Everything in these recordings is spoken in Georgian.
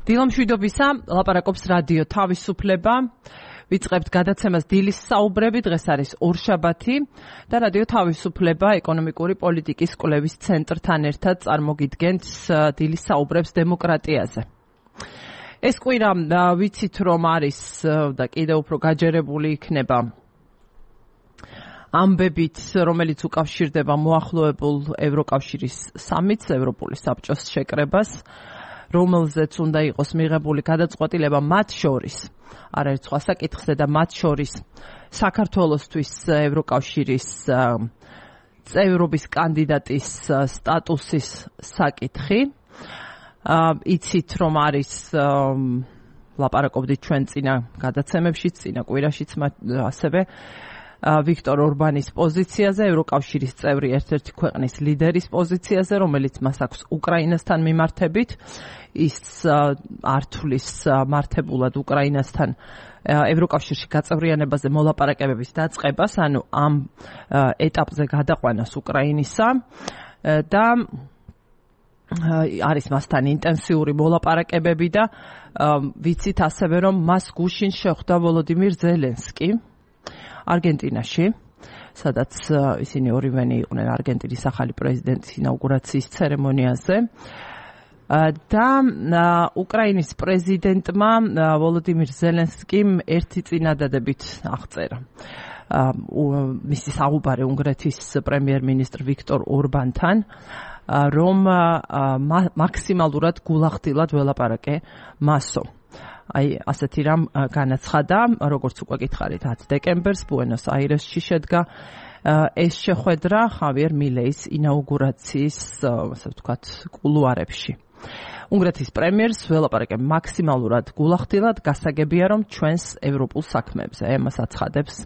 დილამშვიდობისა, ლაპარაკობს რადიო თავისუფლება. ვიწყებთ გადაცემას დილის საუბრები, დღეს არის ორშაბათი და რადიო თავისუფლება ეკონომიკური პოლიტიკის კვლევის ცენტრთან ერთად წარმოგიდგენთ დილის საუბრებს დემოკრატიაზე. ეს კვირა ვიცით რომ არის და კიდევ უფრო გაჯერებული იქნება ამბებით, რომელიც უკავშირდება მოახლოებულ ევროკავშირის სამიტს, ევროპული საბჭოს შეკრებას, რომელზეც უნდა იყოს მიღებული გადაწყვეტილება მათ შორის, არაერთ სხვა საკითხზე და მათ შორის საქართველოსთვის ევროკავშირის წევრობის კანდიდატის სტატუსის საკითხი. იცით რომ არის ლაპარაკობდით ჩვენ წინა გადაცემებშიც, წინა კვირაშიც ასევე ვიქტორ ორბანის პოზიციაზე, ევროკავშირის წევრი ერთ-ერთი ქვეყნის ლიდერის პოზიციაზე, რომელიც მას აქვს უკრაინასთან მიმართებით. ის ართulis მართებულად უკრაინასთან ევროკავშირში გაწევრიანებაზე მოლაპარაკებების დაწყებას, ანუ ამ ეტაპზე გადაყვანას უკრაინისა და არის მასთან ინტენსიური მოლაპარაკებები და ვიცით ასევე რომ მას გუშინ შეხვდა ვოლოდიმირ ზელენსკი არგენტინაში, სადაც ისინი ორივენი იყვნენ არგენტინის ახალი პრეზიდენტის ინაუგურაციის ცერემონიაზე და უკრაინის პრეზიდენტმა ვოლოდიმირ ზელენსკიმ ერთი წინადადებით აღწერა მისი საუბარი უნგრეთის პრემიერ-მინისტრ ვიქტორ ორბანთან, რომ მაქსიმალურად გულახდილად ველაპარაკე მასო. აი, ასეთი რამ განაცხადა, როგორც უკვე გითხარით, 10 დეკემბერს ბუენოს აირესში შედგა ეს შეხვედრა ხავიერ მილეის ინაუგურაციის, ასე ვთქვათ, კულუარებში. უნგრეთის პრემიერს ველაპარაკე მაქსიმალურად გულახდილად, გასაგებია რომ ჩვენს ევროპულ საქმეებზე. ამას აცხადებს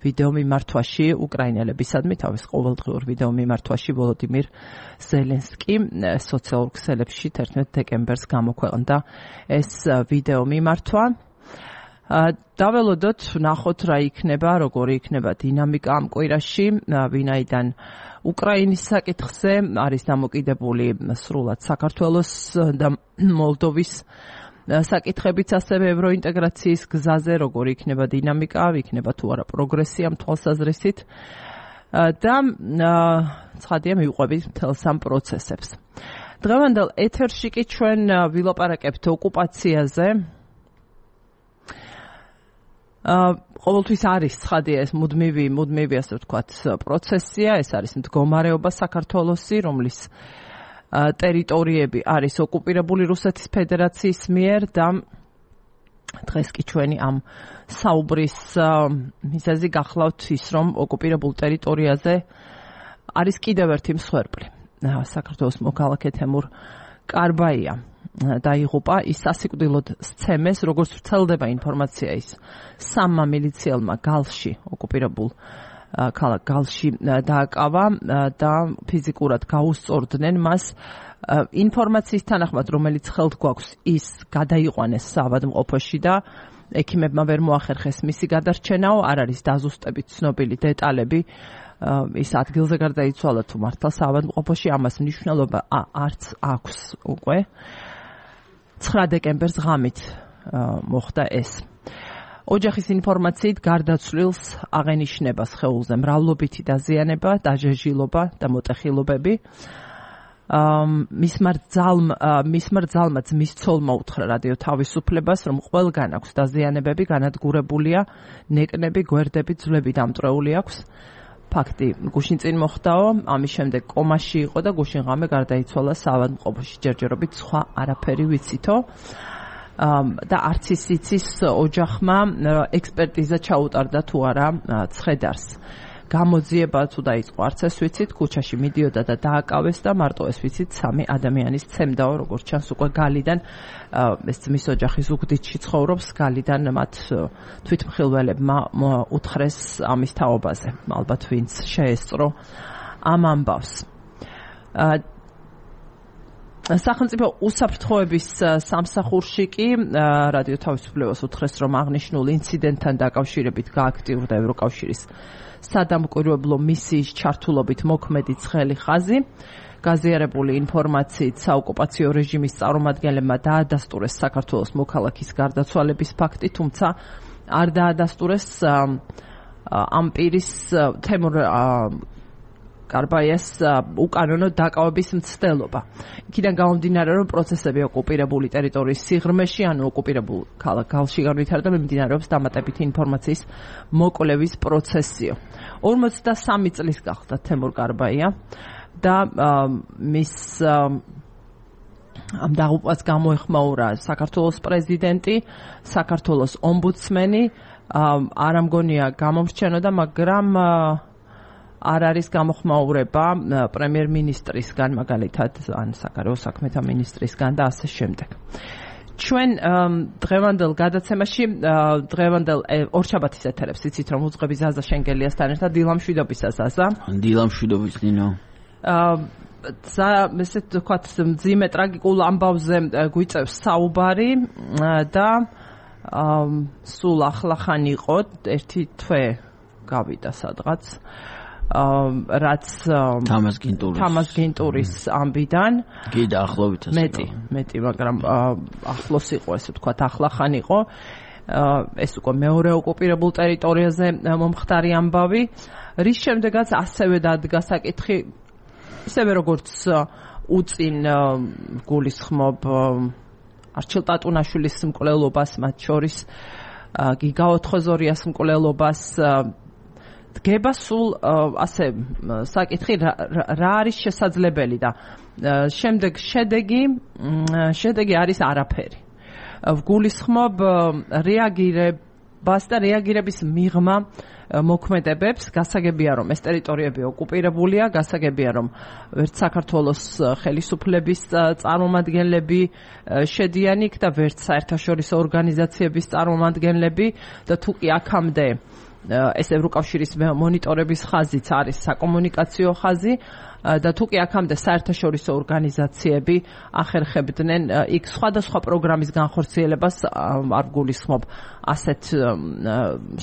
ვიდეო მიმართვაში უკრაინელებისადმი, თავის ყოველდღიურ ვიდეო მიმართვაში ვოლოდიმირ ზელენსკი სოციალურ ქსელებში 11 დეკემბერს გამოქვეყნდა ეს ვიდეო მიმართვა. დაველოდოთ, ვნახოთ რა იქნება, როგორი იქნება დინამიკა ამ კვირაში, ვინაიდან უკრაინის საკითხზე არის დამოკიდებული სრულად საქართველოს და მოლდოვის საკითხებიც, ასევე ევროინტეგრაციის გზაზე, როგორი იქნება დინამიკა, იქნება თუ არა პროგრესი ამ თვალსაზრისით და ცხადია მივყვებით მთელს ამ პროცესებს. დღევანდელ ეთერში კი ჩვენ ვილაპარაკებთ ოკუპაციაზე. ყოველთვის არის ცხადია ეს მუდმივი ასე ვთქვათ პროცესია, ეს არის მდგომარეობა საქართველოსი, რომლის ტერიტორიები არის ოკუპირებული რუსეთის ფედერაციის მიერ და დღეს კი ჩვენი ამ საუბრის მიზეზი გახლავთ ის, რომ ოკუპირებულ ტერიტორიაზე არის კიდევ ერთი მსხვერპლი. საქართველოს მოქალაქე თემურ კარბაია დაიღუპა, ის სასიკვდილოდ სცემეს, როგორც ვრცელდება ინფორმაცია, ის სამმა მილიციელმა გალში, ოკუპირებულ ქალაქ გალში დააკავა და ფიზიკურად გაუსწორდნენ მას. ინფორმაციის თანახმად, რომელიც ხელთ გვაქვს, ის გადაიყვანეს საავადმყოფოში და ექიმებმა ვერ მოახერხეს მისი გადარჩენაო, არ არის დაზუსტებით ცნობილი დეტალები. ის ადგილზე გარდაიცვალა თუ მართლა საავადმყოფოში, ამას მნიშვნელობა არც აქვს უკვე. 9 დეკემბერს ღამით მოხდა ეს. ოჯახის ინფორმაციით გარდაცვლილს აღენიშნება სხეულზე მრავლობითი დაზიანება, დაჟეჟილობა და მოტეხილობები. მისმა რძალმა ძმის ცოლმა უთხრა რადიო თავისუფლებას, რომ ყველგან აქვს დაზიანებები, განადგურებულია ნეკნები, გვერდები, ძვლები დამტვრეული აქვს. ფაქტი გუშინ წინ მოხდაო, ამის შემდეგ კომაში იყო და გუშინ ღამე გარდაიცვალა საავადმყოფოში. ჯერჯერობით სხვა არაფერი ვიცითო და არც ის იცის ოჯახმა ექსპერტიზა ჩაუტარდა თუ არა ცხედარს. გამოძიება თუ დაიწყო, არც ეს ვიცით, ქუჩაში მიდიოდა და დააკავეს და მარტო ეს ვიცით 3 ადამიანის ცემდაო, როგორც ჩანს უკვე გალიდან, ეს ძმის ოჯახი ზუგდიდში ცხოვრობს, გალიდან მათ თვითმხილველებმა უთხრეს ამის თაობაზე. ალბათ ვინც შეესწრო ამ ამბავს. სახელმწიფო უსაფრთხოების სამსახურში კი რადიო თავისუფლებას უთხრეს, რომ აღნიშნულ ინციდენტთან დაკავშირებით გააქტიურდა ევროკავშირის სადამკვირვებლო მისიის ჩართულობით მოქმედი ცხელი ხაზი. გაზიარებული ინფორმაციით საოკუპაციო რეჟიმის წარმომადგენლებმა დაადასტურეს საქართველოს მოქალაქის გარდაცვალების ფაქტი, თუმცა არ დაადასტურეს ამ პირის თემურ კარბაიას უკანონო დაკავების მცდელობა. იქიდან გამომდინარე, რომ პროცესები ოკუპირებული ტერიტორიის სიღრმეში, ანუ ოკუპირებულ ქალაქ გალში განვითარდა, მიმდინარეობს დამატებითი ინფორმაციის მოკვლევის პროცესიო. 43 წლის გახდა თემურ კარბაია და მის ამ დაღუპვას გამოეხმაურა საქართველოს პრეზიდენტი, საქართველოს ომბუდსმენი, არ ამგონია გამომრჩენოდა, მაგრამ არ არის გამოხმაურება პრემიერ-მინისტრისგან, მაგალითად, ან საგარეო საქმეთა მინისტრისგან და ასე შემდეგ. ჩვენ დღევანდელ გადაცემაში, დღევანდელ ორშაბათის ეთერებს იცით, რომ უძღვები ზაზა შენგელიასთან ერთად დილამშვიდობისა ზაზა. დილამშვიდობის ნინო. ესე ვთქვათ, მძიმე ტრაგიკულ ამბავზე გვიწევს საუბარი და სულ ახლახან იყო ერთი თვე გავიდა სადღაც. რაც თამას გინტურის ამბიდან კი დაახლოებით მეტი, მაგრამ ახლოს იყო, ესე ვთქვათ, ახლახან იყო. ეს უკვე მეორე ოკუპირებულ ტერიტორიაზე მომხდარი ამბავი, რის შემდეგაც ასევე დადგა საკითხი, ისევე როგორც უწინ გულისხმობ არჩილ ტატუნაშვილის მკვლელობას, მათ შორის გიგა ოთხოზორიას მკვლელობას, დგება სულ ასე საკითხი რა არის შესაძლებელი და შემდეგ შედეგი არის არაფერი. ვგულისხმობ რეაგირებას და რეაგირების მიღმა მოქმედებებს, გასაგებია რომ ეს ტერიტორიები ოკუპირებულია, გასაგებია რომ ვერც საქართველოს ხელისუფლების წარმომადგენლები შედიან იქ და ვერც საერთაშორისო ორგანიზაციების წარმომადგენლები და თუ კი აქამდე ეს ევროკავშირის მონიტორების ხაზიც არის საკომუნიკაციო ხაზი და თუ კი აქამდე საერთაშორისო ორგანიზაციები ახერხებდნენ იქ სხვადასხვა პროგრამის განხორციელებას, არ გულისხმობ ასეთ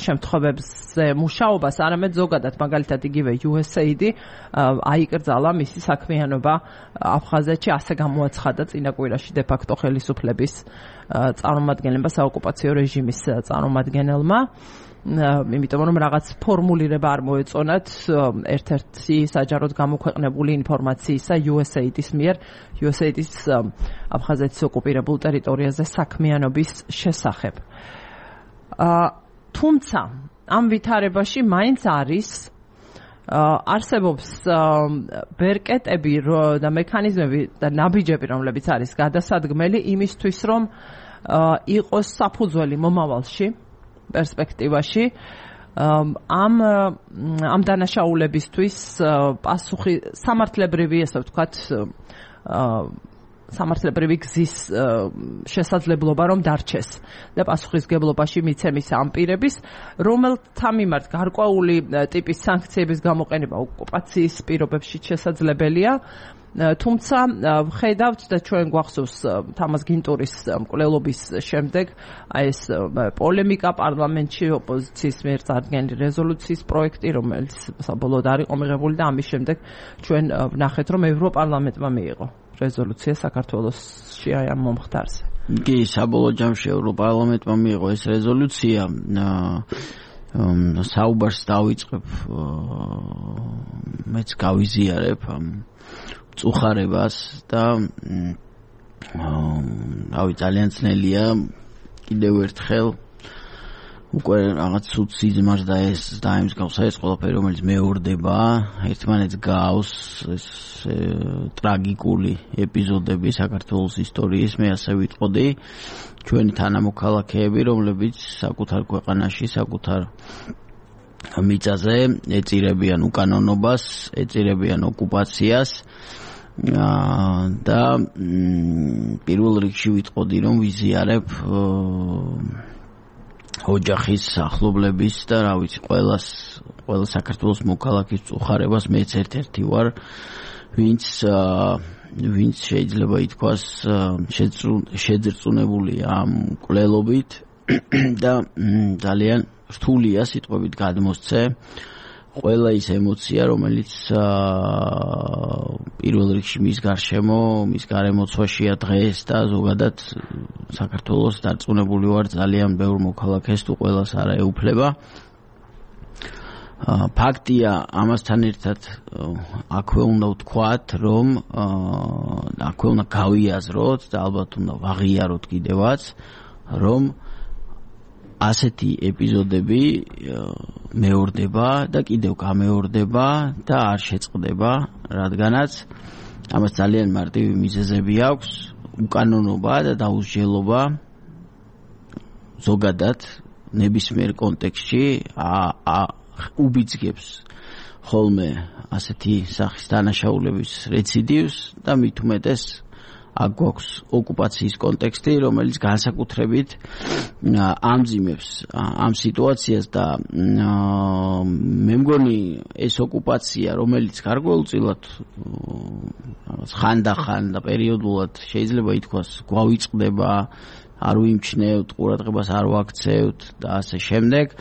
შემთხვევებზე მუშაობას, არამედ ზოგადად, მაგალითად იგივე USAID აიკრძალა მისი საქმიანობა აფხაზეთში, ასე გამოაცხადა წინა კვირაში de facto ხელისუფლების წარმომადგენლებმა, საოკუპაციო რეჟიმის წარმომადგენელმა. იმიტომ რომ რაღაც ფორმულირება არ მოეწონათ ერთ-ერთი საჯაროდ გამოქვეყნებული ინფორმაციისა USAID-ის მიერ, USAID-ის აფხაზეთის ოკუპირებულ ტერიტორიაზე საქმიანობის შესახებ. თუმცა ამ ვითარებაში მაინც არსებობს ბერკეტები და მექანიზმები და ნაბიჯები, რომლებიც არის გადასადგმელი იმისთვის, რომ იყოს საფუძველი მომავალში პერსპექტივაში ამ დანაშაულებისთვის პასუხი სამართლებრივი, ესე ვთქვათ, სამართლებრივი გზის შესაძლებლობა რომ დარჩეს და პასუხისგებლობაში მიცემის ამ პირების, რომელთა მიმართ გარკვეული ტიპის სანქციების გამოყენება ოკუპაციის პირობებში შესაძლებელია. თუმცა ვხედავთ და ჩვენ გვახსოვს თამას გინტურის მკვლელობის შემდეგ ეს პოლემიკა პარლამენტში ოპოზიციის მიერ წარდგენილი რეზოლუციის პროექტი, რომელიც საბოლოოდ არ იყო მიღებული და ამის შემდეგ ჩვენ ვნახეთ, რომ ევროპარლამენტმა მიიღო რეზოლუცია საქართველოსში აი ამ მომხდარზე. კი, საბოლოო ჯამში ევროპარლამენტმა მიიღო ეს რეზოლუცია. საუბარს დავიწყებ, მეც გავიზიარებ ამ წუხარებას და რავი, ძალიან ძნელია კიდევ ერთხელ უკვე რაღაც ცუდ სიზმარს და ეს დაემსგავსა ეს ყველაფერი, რომელიც მეორდება, ერთმანეთს გავს ეს ტრაგიკული ეპიზოდები საქართველოს ისტორიის. მე ასე ვიტყოდი, ჩვენი თანამოქალაქეები, რომლებიც საკუთარ ქვეყანაში, საკუთარ მიწაზე ეწირებიან უკანონობას, ეწირებიან ოკუპაციას და პირველ რიგში ვიტყოდი, რომ ვიზიარებ ოჯახის ახლობლების და რა ვიცი, ყველა საქართველოს მოქალაქის წუხარებას. მეც ერთ-ერთი ვარ, ვინც ვინც შეიძლება ითქვას შეძრწუნებულია ამ კვლელობით და ძალიან რთულია სიტყვებით გადმოსცე ყველა ის ემოცია, რომელიც პირველ რიგში მის გარშემო, მის გარემოცვაშია დღეს და ზოგადად საქართველოს დარწმუნებული ვარ ძალიან ბევრ მოქალაქეს თუ ყველას არა ეუფლება. ფაქტია ამასთან ერთად აქვე უნდა ვთქვათ, რომ აქვე უნდა გავიაზროთ და ალბათ უნდა ვაღიაროთ კიდევაც, რომ ასეთი ეპიზოდები მეორდება და კიდევ გამეორდება და არ შეწყდება, რადგანაც ამას ძალიან მარტივი მიზეზები აქვს, უკანონობა და დაუსჯელობა ზოგადად ნებისმიერ კონტექსტში უბიძგებს ხოლმე ასეთი სახის დანაშაულების რეციდივს და მით უმეტეს აქ გვაქვს ოკუპაციის კონტექსტი, რომელიც განსაკუთრებით ამძიმებს ამ სიტუაციას და მე მგონი ეს ოკუპაცია, რომელიც გარკვეულწილად ხანდახან და პერიოდულად შეიძლება ითქვას გვავიწყდება, არ ვიმჩნევთ, ყურადღებას არ ვაქცევთ და ასე შემდეგ.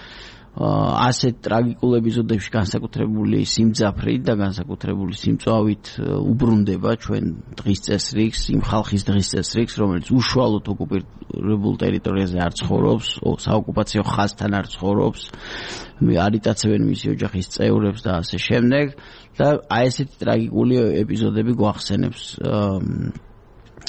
ასეთ ტრაგიკულ ეპიზოდებში განსაკუთრებული სიმძაფრით და განსაკუთრებული სიმწვავით უბრუნდება ჩვენ დღის წესრიგს, იმ ხალხის დღის წესრიგს, რომელიც უშუალოდ ოკუპირებულ ტერიტორიაზე არ ცხოვრობს, საოკუპაციო ხაზთან არ ცხოვრობს, არ იტაცებენ მისი ოჯახის წევრებს და ასე შემდეგ და აი ესეთი ტრაგიკული ეპიზოდები გვახსენებს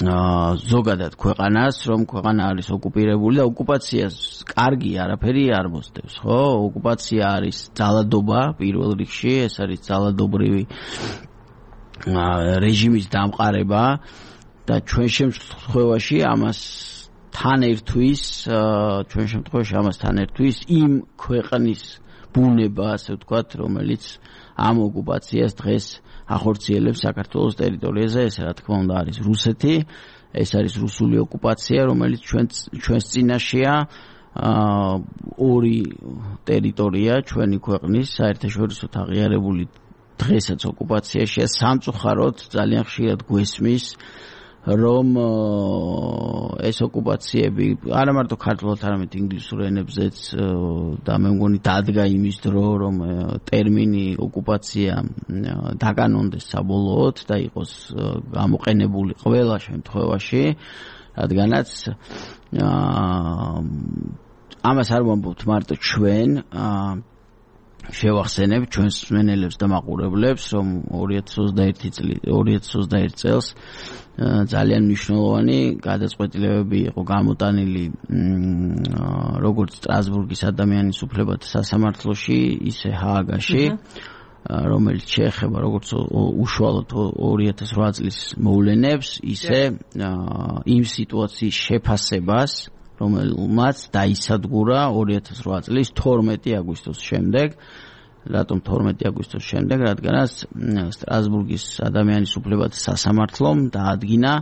ზოგადად ქვეყანას, რომ ქვეყანა არის ოკუპირებული და ოკუპაციას კარგი არაფერი არ მოსდევს, ხო? ოკუპაცია არის ძალადობა პირველ რიგში, ეს არის ძალადობრივი რეჟიმის დამყარება და ჩვენ შემთხვევაში ამასთან ერთვის იმ ქვეყნის ბუნება, ასე ვთქვათ, რომელიც ამ ოკუპაციას დღეს ახორციელებს საქართველოს ტერიტორიაზე, ეს რა თქმა უნდა არის რუსეთი, ეს არის რუსული ოკუპაცია, რომელიც ჩვენს წინაშეა, ორი ტერიტორია ჩვენი ქვეყნის საერთაშორისოდ აღიარებული დღესაც ოკუპაციაშია, სამწუხაროდ ძალიან ხშირად გვესმის რომ ეს ოკუპაციები არა მარტო ქართულად, არამედ ინგლისურ ენებზეც და მე მგონი დადგა იმის დრო, რომ ტერმინი ოკუპაცია დაკანონდეს საბოლოოდ და იყოს გამოყენებული ყველა შემთხვევაში, რადგანაც ამას არ ვამბობთ მარტო ჩვენ, შევახსენებ ჩვენს მსმენელებს და მაყურებლებს, რომ 2021 წელს ძალიან მნიშვნელოვანი გადაწყვეტილებები იყო გამოტანილი როგორც სტრასბურგის ადამიანის უფლებათა სასამართლოში, ისე ჰააგაში, რომელიც შეეხება როგორც უშუალოდ 2008 წლის მოვლენებს, ისე იმ სიტუაციის შეფასებას, რომელმაც დაისადგურა 2008 წლის 12 აგვისტოს შემდეგ. რატომ 12 აგვისტოს შემდეგ? რადგანაც სტრასბურგის ადამიანის უფლებათა სასამართლომ დაადგინა,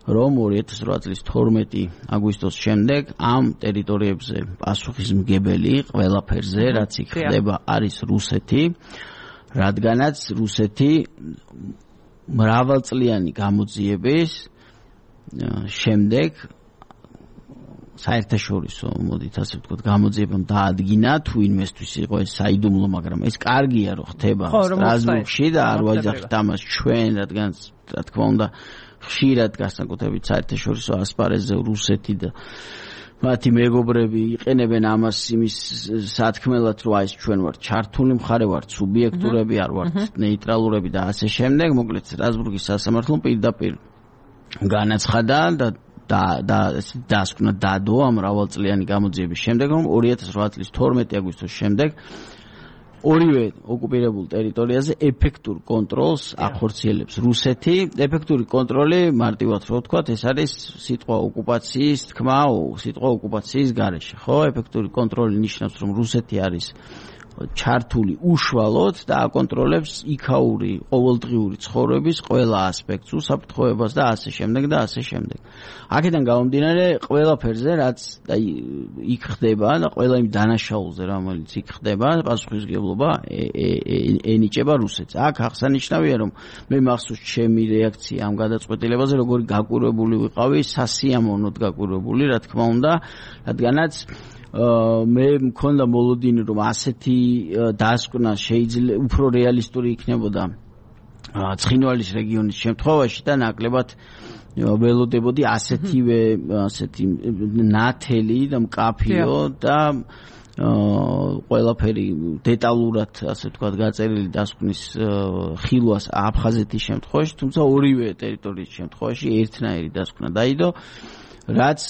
რომ 2008 წლის 12 აგვისტოს შემდეგ ამ ტერიტორიებზე პასუხისმგებელი ყველაფერზე, რაც იქ ხდება, არის რუსეთი, რადგანაც რუსეთი მრავალწლიანი გამოძიების შემდეგ საერთაშორისო, მოდით ასე ვთქვათ, გამოძიებამ დაადგინა, თუ ინვესტვის იყო ეს საიდუმლო, მაგრამ ეს კარგია, რომ ხდება სტრასბურგში და არ ვაჯახით ამას ჩვენ, რადგან რა თქმა უნდა ხშირად განსაკუთრებით საერთაშორისო ასპარეზზე რუსეთი და მათი მეგობრები იყენებენ ამას იმის სათქმელად, რომ ეს ჩვენ ვართ ჩართული მხარე, ვართ სუბიექტურები, არ ვართ ნეიტრალურები და ასე შემდეგ. მოკლედ სტრასბურგის სასამართლომ პირდაპირ განაცხადა და დასკვნა დადო ამ მრავალწლიანი გამოძიების შემდეგ, რომ 2008 წლის 12 აგვისტოს შემდეგ ორივე ოკუპირებულ ტერიტორიაზე ეფექტურ კონტროლს ახორციელებს რუსეთი. ეფექტური კონტროლი, მარტივად რო ვთქვათ, ეს არის სიტყვა ოკუპაციის თქმა, სიტყვა ოკუპაციის გარეშე, ხო? ეფექტური კონტროლი ნიშნავს, რომ რუსეთი არის ჩართული უშუალოდ და აკონტროლებს იქაური ყოველდღიური ცხოვრების ყველა ასპექტს, უსაფრთხოებას და ასე შემდეგ და ასე შემდეგ. აქედან გამომდინარე ყველაფერზე, რაც იქ ხდება და ყველა იმ დანაშაულზე, რომელიც იქ ხდება, პასუხისმგებლობა ენიჭება რუსეთს. აქ აღსანიშნავია, რომ მე მახსოვს ჩემი რეაქცია ამ გადაწყვეტილებაზე, როგორი გაკვირვებული ვიყავი, სასიამოვნოდ გაკვირვებული, რა თქმა უნდა, რადგანაც მე მქონდა მოლოდინი, რომ ასეთი დასკვნა შეიძლება უფრო რეალისტური იქნებოდა ცხინვალის რეგიონის შემთხვევაში და ნაკლებად ველოდებოდი ასეთი ნათელი და მკაფიო და ყველაფერი დეტალურად, ასე ვთქვათ, გაწერილი დასკვნის ხილვას აფხაზეთის შემთხვევაში, თუმცა ორივე ტერიტორიის შემთხვევაში ერთნაირი დასკვნა დაიდო, რაც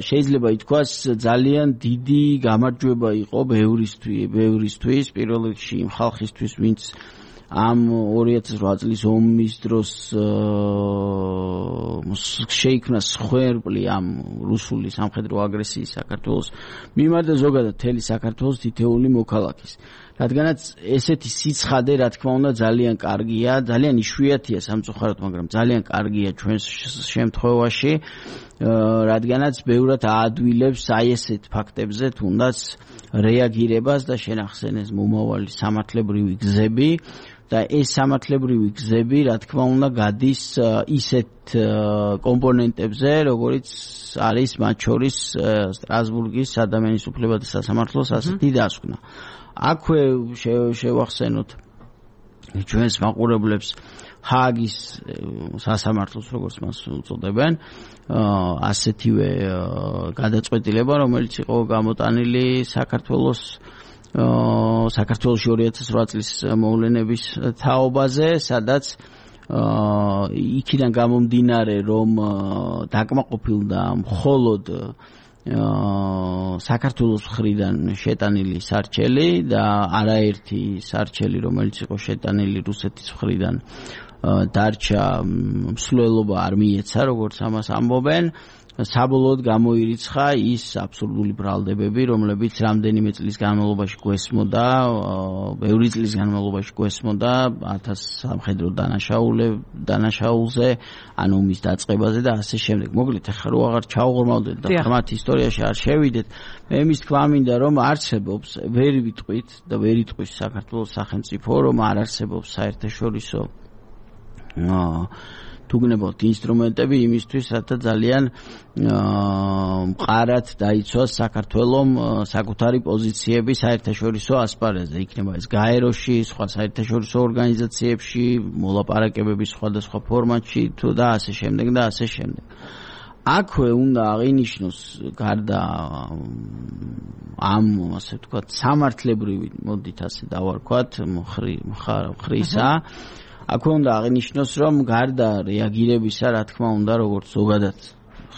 შეიძლება ითქვას ძალიან დიდი გამარჯვება იყო ბევრისთვის, პირველ რიგში იმ ხალხისთვის, ვინც ამ 2008 წლის ომის დროს შეიქმნა სხვერპლი ამ რუსული სამხედრო აგრესიის საქართველოს მიმართ და ზოგადად მთელი საქართველოს თითეული მოქალაქის. რადგანაც ესეთი სიცხადე, რა თქმა უნდა, ძალიან კარგია, ძალიან იშვიათია სამწუხაროდ, მაგრამ ძალიან კარგია ჩვენს შემთხვევაში, რადგანაც ბევრად აადვილებს აი ესეთ ფაქტებზე თუნდაც რეაგირებას და შენახსენეს მომავალი სამართლებრივი გზები. და ეს სამართლებრივი გზები, რა თქმა უნდა, გადის ისეთ კომპონენტებზე, როგორც არის მათ შორის სტრასბურგის ადამიანის უფლებათა სასამართლოს ასეთი დასკვნა. აქვე შევახსენოთ ჩვენს მაყურებლებს ჰააგის სასამართლოს, როგორც მას უწოდებენ, ასეთივე გადაწყვეტილება, რომელიც იყო გამოტანილი საქართველოში 2008 წლის მოვლენების თაობაზე, სადაც იქიდან გამომდინარე, რომ დაკმაყოფილდა მხოლოდ საქართველოს მხრიდან შეტანილი სარჩელი და არაერთი სარჩელი, რომელიც იყო შეტანილი რუსეთის მხრიდან, დარჩა მსვლელობა არ მიეცა, როგორც ამას ამბობენ. საბოლოოდ გამოირიცხა ის აბსურდული ბრალდებები, რომლებიც რამდენიმე წლის განმავლობაში გვესმოდა, ბევრი წლის განმავლობაში გვესმოდა 1000 სამხედრო დანაშაულზე, ანუ მის დაწყებაზე და ასე შემდეგ. მოკლედ, ახლა რო აღარ ჩავღრმავდეთ და ღრმათ ისტორიაში არ შევიდეთ, მე მის თქვა მინდა, რომ არსებობს, ვერ ვიტყვით და ვერ იტყვის საქართველოს სახელმწიფო, რომ არ არსებობს საერთაშორისო თუ გნებავთ ინსტრუმენტები იმისთვის, რათა ძალიან მყარად დაიცვას საქართველომ საკუთარი პოზიციები საერთაშორისო ასპარეზზე. იქნება ეს გაეროში, სხვა საერთაშორისო ორგანიზაციებში, მოლაპარაკებების სხვადასხვა ფორმატში თუ და ასე შემდეგ და ასე შემდეგ. აქვე უნდა აღინიშნოს გარდა ამ, ასე ვთქვათ, სამართლებრივი, მოდით ასე დავარქვათ, მხრისა, აქვე უნდა აღინიშნოს, რომ გარდა რეაგირებისა, რა თქმა უნდა, როგორც ზოგადად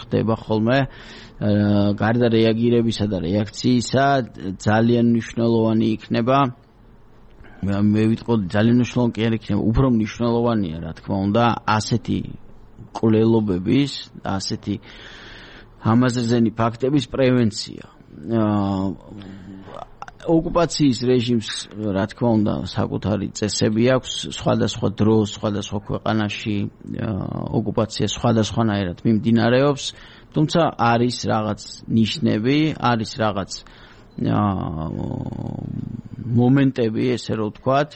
ხდება ხოლმე, გარდა რეაგირებისა და რეაქციისა, ძალიან მნიშვნელოვანი იქნება, მე ვიტყოდი, ძალიან მნიშვნელოვანი კი არ იქნება, უფრო მნიშვნელოვანია, რა თქმა უნდა, ასეთი კვლელობების, ასეთი ამაზრზენი ფაქტების პრევენცია. ოკუპაციის რეჟიმს, რა თქმა უნდა, საკუთარი წესები აქვს, სხვადასხვა დროს, სხვადასხვა ქვეყანაში ოკუპაცია სხვადასხვანაირად მიმდინარეობს, თუმცა არის რაღაც ნიშნები, არის რაღაც მომენტები, ესე რომ ვთქვათ,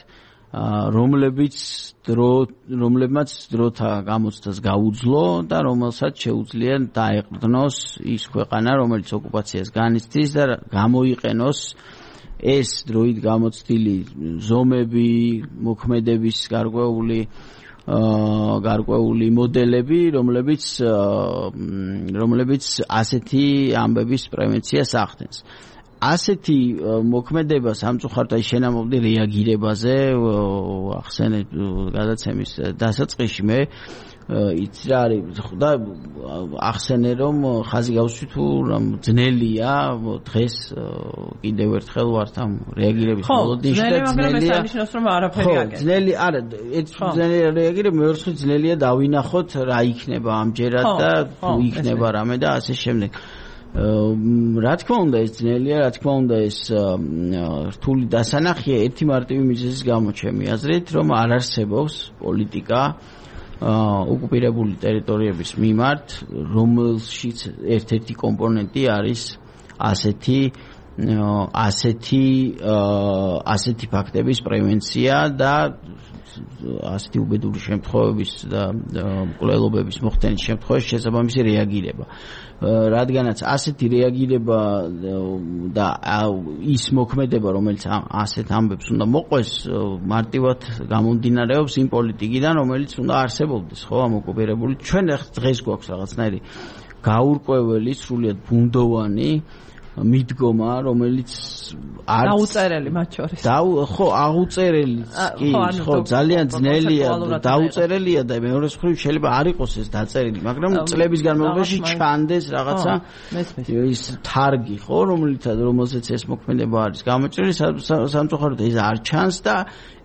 რომლებმაც დროთა გამოცდას გაუძლო და რომელსაც შეუძლია დაეყრდნოს ის ქვეყანა, რომელიც ოკუპაციას განიცდის და გამოიყენოს ეს დროით გამოცდილი ზომები, მოქმედების გარკვეული მოდელები, რომლებიც ასეთი ამბების პრევენციას ახდენს. ასეთი მოქმედება სამწუხაროდ შენამობდი რეაგირებაზე, ახსენეთ გადაცემის დასაწყისში მე იცი რა არის და ახსენე რომ ხაზი გავსვი თუ რომ ძნელია დღეს კიდევ ერთხელ ვართ ამ რეაგირების მოლოდინში და ძნელია რომ არაფერი აგეთ. ძნელი არა, ეს ძნელი რეაგირება მეერთხე ძნელია დავინახოთ რა იქნება ამჯერად და თუ იქნება რამე და ასე შემდეგ. რა თქმა უნდა ეს ძნელია, რა თქმა უნდა ეს რთული დასანახია ერთი მარტივი მიზეზის გამო ჩემი აზრით, რომ არ არსებობს პოლიტიკა ოკუპირებული ტერიტორიების მიმართ, რომელშიც ერთ-ერთი კომპონენტი არის ასეთი ფაქტების პრევენცია და ასეთი უბედური შემთხვევების და მკვლელობების მოხდენის შემთხვევაში შესაბამისი რეაგირება. რადგანაც ასეთი რეაგირება და ის მოქმედება, რომელიც ასეთ ამბებს უნდა მოყვეს, მარტივად გამომდინარეობს იმ პოლიტიკიდან, რომელიც უნდა არსებობდეს, ხო, ამ ოკუპირებული. ჩვენ დღეს გვაქვს რაღაცნაირი გაურკვეველი, სრულიად ბუნდოვანი მიდგომა, რომელიც არ დაუწერელი მათ შორის. ხო, აღუწერელიც კი, ხო, ძალიან ძნელია, დაუწერელია და მეორეს მხრივ შეიძლება არ იყოს ეს დაწერილი, მაგრამ წლების განმავლობაში ჩანდეს რაღაცა ის თარგი, ხო, რომელზეც ეს მოქმედება არის გამოჭრილი, სამწუხაროდ ეს არ ჩანს და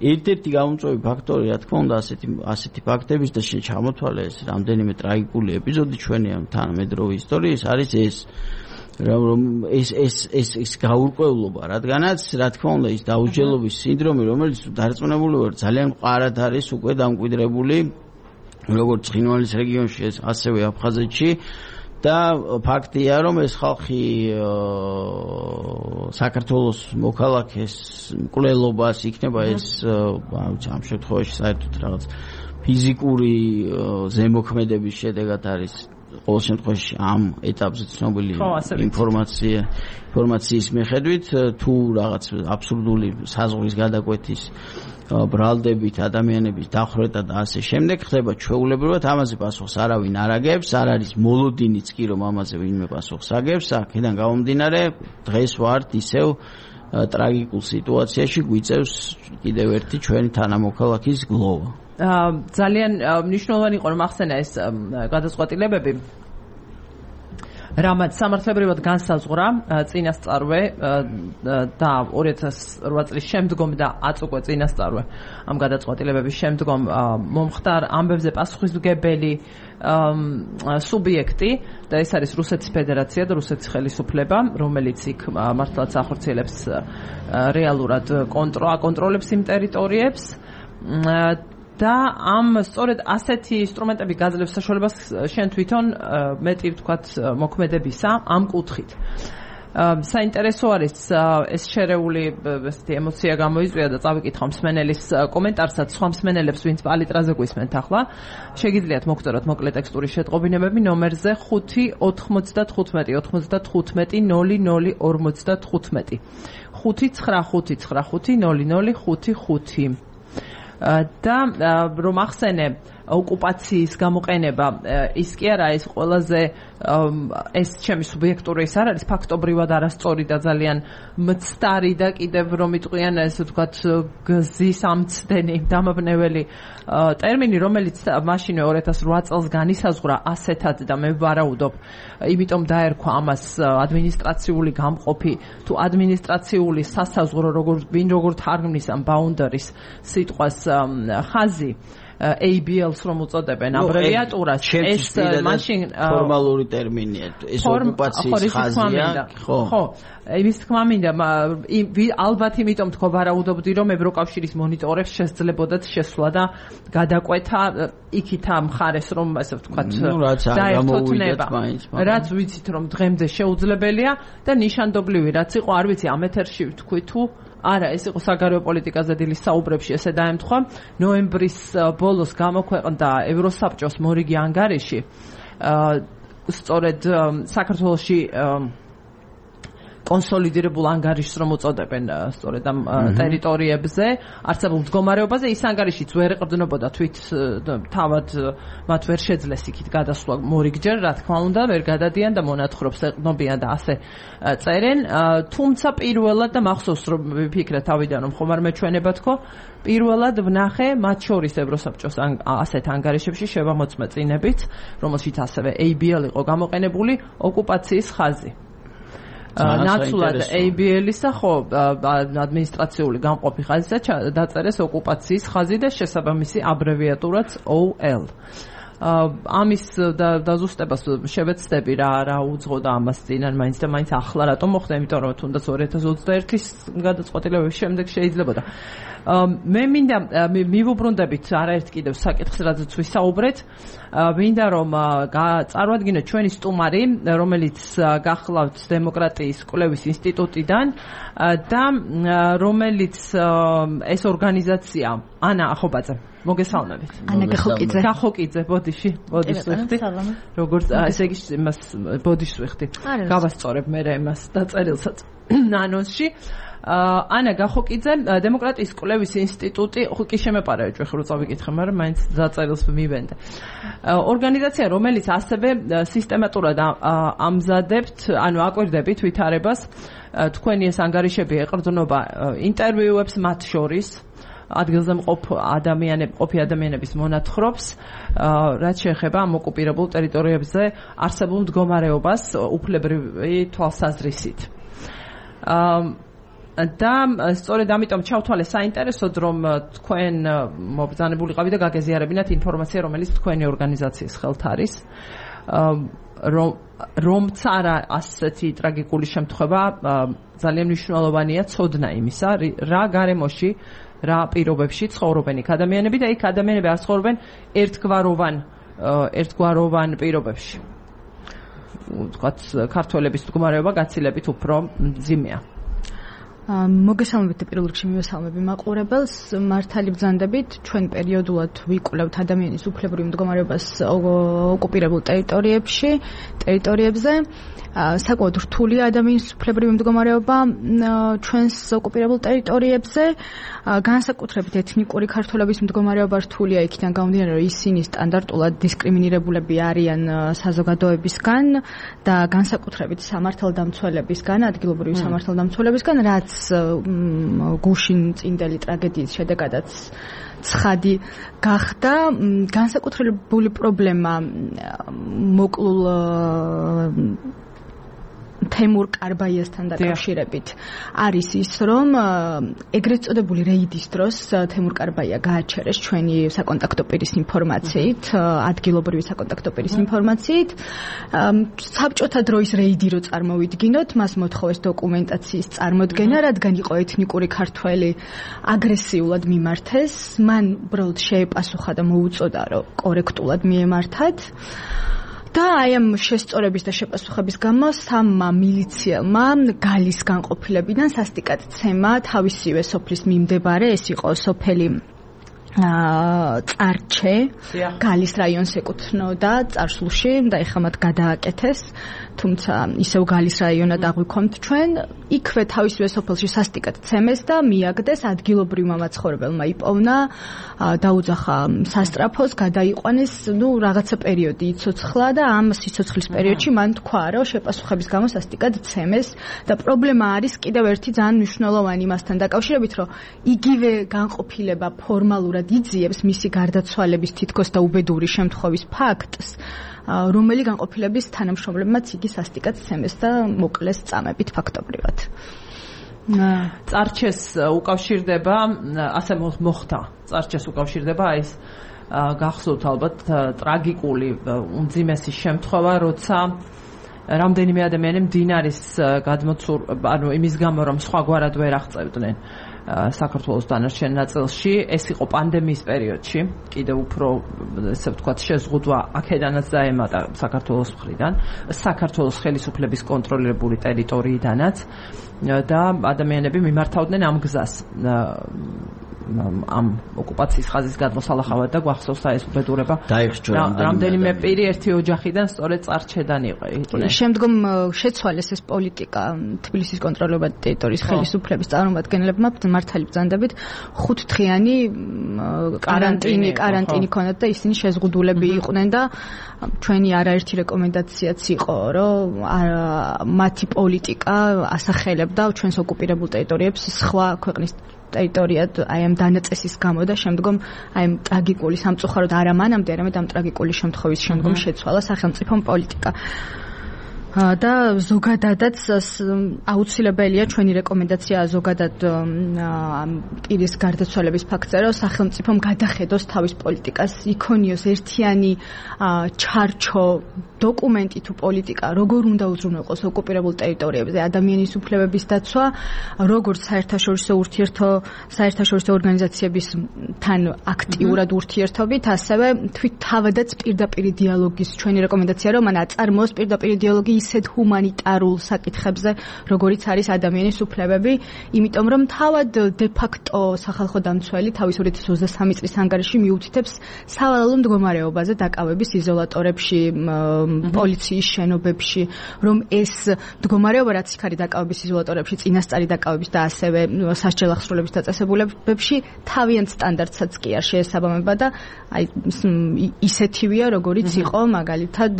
ერთ-ერთი გამომწვევი ფაქტორი, რა თქმა უნდა, ასეთი ფაქტების და ჩამოთვალე ეს რამდენიმე ტრაგიკული ეპიზოდი ჩვენი ამ თანამედროვე ისტორიის არის ეს რომ ეს გაურკვევლობა, რადგანაც რა თქმა უნდა ის დაუჯელობის სინდრომი, რომელიც დარწმუნებული ვარ ძალიან მყარად არის უკვე დამკვიდრებული როგორც ცხინვალის რეგიონში, ასევე აფხაზეთში და ფაქტია, რომ ეს ხალხი საქართველოს მოქალაქეს მკვლელობას იქნება ეს ამ შემთხვევაში საერთოდ რაღაც ფიზიკური ზემოქმედების შედეგად არის ყოველ შემთხვევაში ამ ეტაპზე ცნობილი ინფორმაციის მიხედვით თუ რაღაც აბსურდული საზღვრის გადაკვეთის ბრალდებით ადამიანების დახვრეტა და ასე შემდეგ ხდება ჩვეულებრივად, ამაზე პასუხს არავინ არ აგებს, არ არის მოლოდინიც კი რომ ამაზე ვინმე პასუხს აგებს. აქედან გამომდინარე დღეს ვართ ისევ ტრაგიკულ სიტუაციაში, გვიწევს კიდევ ერთი ჩვენი თანამოქალაქის გლოვა. ძალიან მნიშვნელოვანი იყო რომ ახსენა ეს გადაწყვეტილებები, რამაც სამართლებრივად განსაზღვრა წინასწარვე და 2008 წლის შემდგომ და აწუყვე წინასწარვე ამ გადაწყვეტილებების შემდგომ მომხდარ ამბებზე პასუხისმგებელი სუბიექტი და ეს არის რუსეთის ფედერაცია და რუსეთის ხელისუფლება, რომელიც იქ მართლაც ახორციელებს რეალურად აკონტროლებს იმ ტერიტორიებს და ამ სწორედ ასეთი ინსტრუმენტები გაძლევს საშუალებას შენ თვითონ მეტი ვთქვათ მოქმედებისა ამ კუთხით. საინტერესო არის ეს შერეული ესეთი ემოცია გამოიწვია და წავიკითხო მსმენელის კომენტარსაც, სხვა მსმენელებს ვინც პალიტრაზე გვისმენთ ახლა. შეგიძლიათ მოგწეროთ მოკლე ტექსტური შეტყობინებები ნომერზე 5 95 95 00 55 595550055 და რომ ახსენე ოკუპაციის გამოყენება ის კი არა ის ყველაზე ეს ჩემი სუბიექტური ის არ არის ფაქტობრივად არასწორი და ძალიან მცდარი და კიდევ რომ იტყვიან ესე ვთქვათ გზის ამცდენი დამაბნეველი ტერმინი, რომელიც მაშინვე 2008 წელს განისაზღვრა ასეთად და მე ვარაუდობ, იმიტომ დაერქვა ამას ადმინისტრაციული გამყოფი თუ ადმინისტრაციული სასაზღვრო როგორ თარგმნის ამ boundaries სიტყვას ხაზი ABL-ს რომ უწოდებენ აბრევიატურას, ეს მაშინ ფორმალური ტერმინია, ეს ოკუპაციის ხაზია, ხო, იმის თქმა მინდა, ალბათ იმიტომ თქო ვარაუდობდი, რომ ევროკავშირის მონიტორებს შესძლებოდათ შესვლა და გადაკვეთა იქით ამ მხარეს, რომ ასე ვთქვათ, დაერთოთნება, რაც ვიცით, რომ დღემდე შეუძლებელია და ნიშანდობლივი რაც იყო, არ ვიცი, ამ ეთერში ვთქვი თუ არა, ეს იყო საგარეო პოლიტიკაზე დილის საუბრებში ესე დაემთხვა. ნოემბრის ბოლოს გამოქვეყნდა ევროსაბჭოს მორიგი ანგარიში სწორედ საქართველოში კონსოლიდირებულ ანგარიშს რომ უწოდებენ სწორედ ამ ტერიტორიებზე არსებულ მდგომარეობაზე. ის ანგარიშიც ვერ ეყრდნობოდა თავად მათ ვერ შეძლეს იქით გადასვლა მორიგჯერ, რა თქმა უნდა, ვერ გადადიან და მონათხრობს ეყრდნობიან და ასე წერენ. თუმცა პირველად და მახსოვს რომ ვიფიქრე თავიდან რომ ხომ არ მეჩვენება თქო, პირველად ვნახე მათ შორის ევროსაბჭოს ასეთ ანგარიშებში შევამოწმე წინებით, რომელშიც ასევე ABL იყო გამოყენებული ოკუპაციის ხაზი. ნაცვლად ABL-ისა ხო ადმინისტრაციული გამყოფი ხაზისა დაწერეს ოკუპაციის ხაზი და შესაბამისი აბრევიატურაც OL. ამის დაზუსტებას შევეცდები რა უძღოდა ამას წინან მაინც და მაინც ახლა რატომ მოხდა, იმიტომ რომ თუნდაც 2021-ის გადაწყვეტილების შემდეგ შეიძლებოდა. მე მინდა მივუბრუნდებით არაერთ კიდევ საკითხს, რაზეც ვისაუბრეთ. მინდა რომ წარვადგინოთ ჩვენი სტუმარი, რომელიც გახლავთ დემოკრატიის კვლევის ინსტიტუტიდან და რომელიც ეს ორგანიზაცია ანა ახობაძე. მოგესალმებით. ანა გახოკიძე. გახოკიძე, ბოდიში ვიხდი. როგორც ესე იგი იმას ბოდიშს ვიხდი. გავასწორებ მე იმას დაწერილსაც ანონსში. ანა გახოკიძე, დემოკრატიის კვლევის ინსტიტუტი, კი შემეპარებთ ჩვენ ხო წავიკითხე, მაგრამ მაინც დაწერილს მივენდე. ორგანიზაცია, რომელიც ასევე სისტემატურად ამზადებთ, ანუ აკვირდებით ვითარებას, თქვენი ეს ანგარიშები ეყრდნობა ინტერვიუებს მათ შორის ადგილზე მყოფი ადამიანების მონათხრობს, რაც შეეხება ამ ოკუპირებულ ტერიტორიებზე არსებულ მდგომარეობას უფლებრივი თვალსაზრისით. და სწორედ ამიტომ ჩავთვალე საინტერესოდ, რომ თქვენ მობრძანებულიყავით და გაგეზიარებინათ ინფორმაცია, რომელიც თქვენი ორგანიზაციის ხელთ არის, რომც არა ასეთი ტრაგიკული შემთხვევა, ძალიან მნიშვნელოვანია ცოდნა იმისა, რა გარემოში, რა პირობებში ცხოვრობენ იქ ადამიანები და იქ ადამიანები არ ცხოვრობენ ერთგვაროვან პირობებში. ვთქვათ, ქართველების მდგომარეობა გაცილებით უფრო მძიმეა. მოგესალმებით და პირველ რიგში მივესალმები მაყურებელს. მართალი ბრძანდებით, ჩვენ პერიოდულად ვიკვლევთ ადამიანის უფლებრივ მდგომარეობას ოკუპირებულ ტერიტორიებზე. საკმაოდ რთულია ადამიანის უფლებრივი მდგომარეობა ჩვენს ოკუპირებულ ტერიტორიებზე. განსაკუთრებით ეთნიკური ქართველების მდგომარეობა რთულია იქიდან გამომდინარე, რომ ისინი სტანდარტულად დისკრიმინირებულები არიან საზოგადოებისგან და განსაკუთრებით სამართალდამცველებისგან, ადგილობრივი სამართალდამცველებისგან, რაც გუშინ წინდელი ტრაგედიის შედეგადაც ცხადი გახდა. განსაკუთრებული პრობლემა მოკლულ თემურ კარბაიასთან დაკავშირებით არის ის, რომ ეგრეთ წოდებული რეიდის დროს თემურ კარბაია გააჩერეს ჩვენი საკონტაქტო პირის ინფორმაციით, ადგილობრივი საკონტაქტო პირის ინფორმაციით. საბჭოთა დროის რეიდი რო წარმოვიდგინოთ, მას მოთხოვეს დოკუმენტაციის წარმოდგენა, რადგან იყო ეთნიკური ქართველი აგრესიულად მიმართეს, მან უბრალოდ შეეპასუხა და მოუწოდა, რომ კორექტულად მიემართათ. და აი ამ შესწორების და შეპასუხების გამო სამმა მილიციელმა გალის განყოფილებიდან სასტიკად ცემა თავისივე სოფლის მიმდებარე, ეს იყო სოფელი წარჩე, გალის რაიონს ეკუთვნოდა წარსულში და ეხლა მათ გადააკეთეს, თუმცა ისევ გალის რაიონად აღვიქვამთ ჩვენ. იქვე თავისივე სოფელში სასტიკად ცემეს და მიაგდეს, ადგილობრივმა მაცხოვრებელმა იპოვნა, დაუძახა სასტრაფოს, გადაიყვანეს, რაღაცა პერიოდი იცოცხლა და ამ სიცოცხლის პერიოდში მან თქვა, რომ შეპასუხების გამო სასტიკად ცემეს და პრობლემა არის კიდევ ერთი ძალიან მნიშვნელოვანი იმასთან დაკავშირებით, რომ იგივე განყოფილება ფორმალურად იძიებს მისი გარდაცვალების თითქოს და უბედური შემთხვევის ფაქტს, რომელი განყოფილების თანამშრომლებმაც იგი სასტიკად ცემეს და მოკლეს წამებით ფაქტობრივად. წარჩეს უკავშირდება, ასე მოხდა, წარჩეს უკავშირდება ეს გახსოვთ ალბათ ტრაგიკული უმძიმესი შემთხვევა, როცა რამდენიმე ადამიანი მდინარის გადმოცურ, ანუ იმის გამო, რომ სხვაგვარად ვერ აღწევდნენ საქართველოს დანარჩენ ნაწილში, ეს იყო პანდემიის პერიოდში, კიდევ უფრო ესე ვთქვათ შეზღუდვა აქედანაც დაემატა საქართველოს მხრიდან, საქართველოს ხელისუფლების კონტროლირებული ტერიტორიიდანაც და ადამიანები მიმართავდნენ ამ გზას. ამ ოკუპაციის ხაზის გადმოსალახავად და გვახსოვს ეს უბედურება. რამდენიმე პირი ერთი ოჯახიდან სწორედ წარჩედან იყვნენ. შემდგომ შეცვალეს ეს პოლიტიკა თბილისის კონტროლირებული ტერიტორიის ხელისუფლების წარმომადგენლებმა მართალი ბრძანდებით 5 დღიანი კარანტინი ქონდათ და ისინი შეზღუდულები იყვნენ და ჩვენი არაერთი რეკომენდაციაც იყო, რომ მათი პოლიტიკა ასახელებდა ჩვენს ოკუპირებულ ტერიტორიებს სხვა ქვეყნის ტერიტორიად აი ამ დანაწესის გამო და შემდგომ აი ამ ტრაგიკული სამწუხაროდ არა მანამდე, არამედ ამ ტრაგიკული შემთხვევის შემდგომ შეცვალა სახელმწიფო პოლიტიკა. და ზოგადადაც აუცილებელია ჩვენი რეკომენდაცია ზოგადად პირის გარდაცვალების ფაქტზე, რომ სახელმწიფომ გადახედოს თავის პოლიტიკას, იქონიოს ერთიანი ჩარჩო დოკუმენტი თუ პოლიტიკა, როგორ უნდა უზრუნველყოს ოკუპირებულ ტერიტორიებზე ადამიანის უფლებების დაცვა, როგორც საერთაშორისო ორგანიზაციებისთან აქტიურად ურთიერთობით, ასევე თვით თავადაც პირდაპირი დიალოგის ჩვენი რეკომენდაცია, რომ მან აწარმოოს პირდაპირი დიალოგი ისეთ ჰუმანიტარულ საკითხებზე, როგორიც არის ადამიანის უფლებები, იმიტომ რომ თავად de facto სახალხო დამცველი თავის 2023 წლის ანგარიში მიუთითებს სავალალო მდგომარეობაზე დაკავების იზოლატორებში, პოლიციის შენობებში, რომ ეს მდგომარეობა რაც იქ არის დაკავების იზოლატორებში, წინასწარი დაკავების და ასევე სასჯელ აღსრულების დაწესებულებებში თავიანთ სტანდარტსაც კი არ შეესაბამება და აი ისეთივეა, როგორიც იყო მაგალითად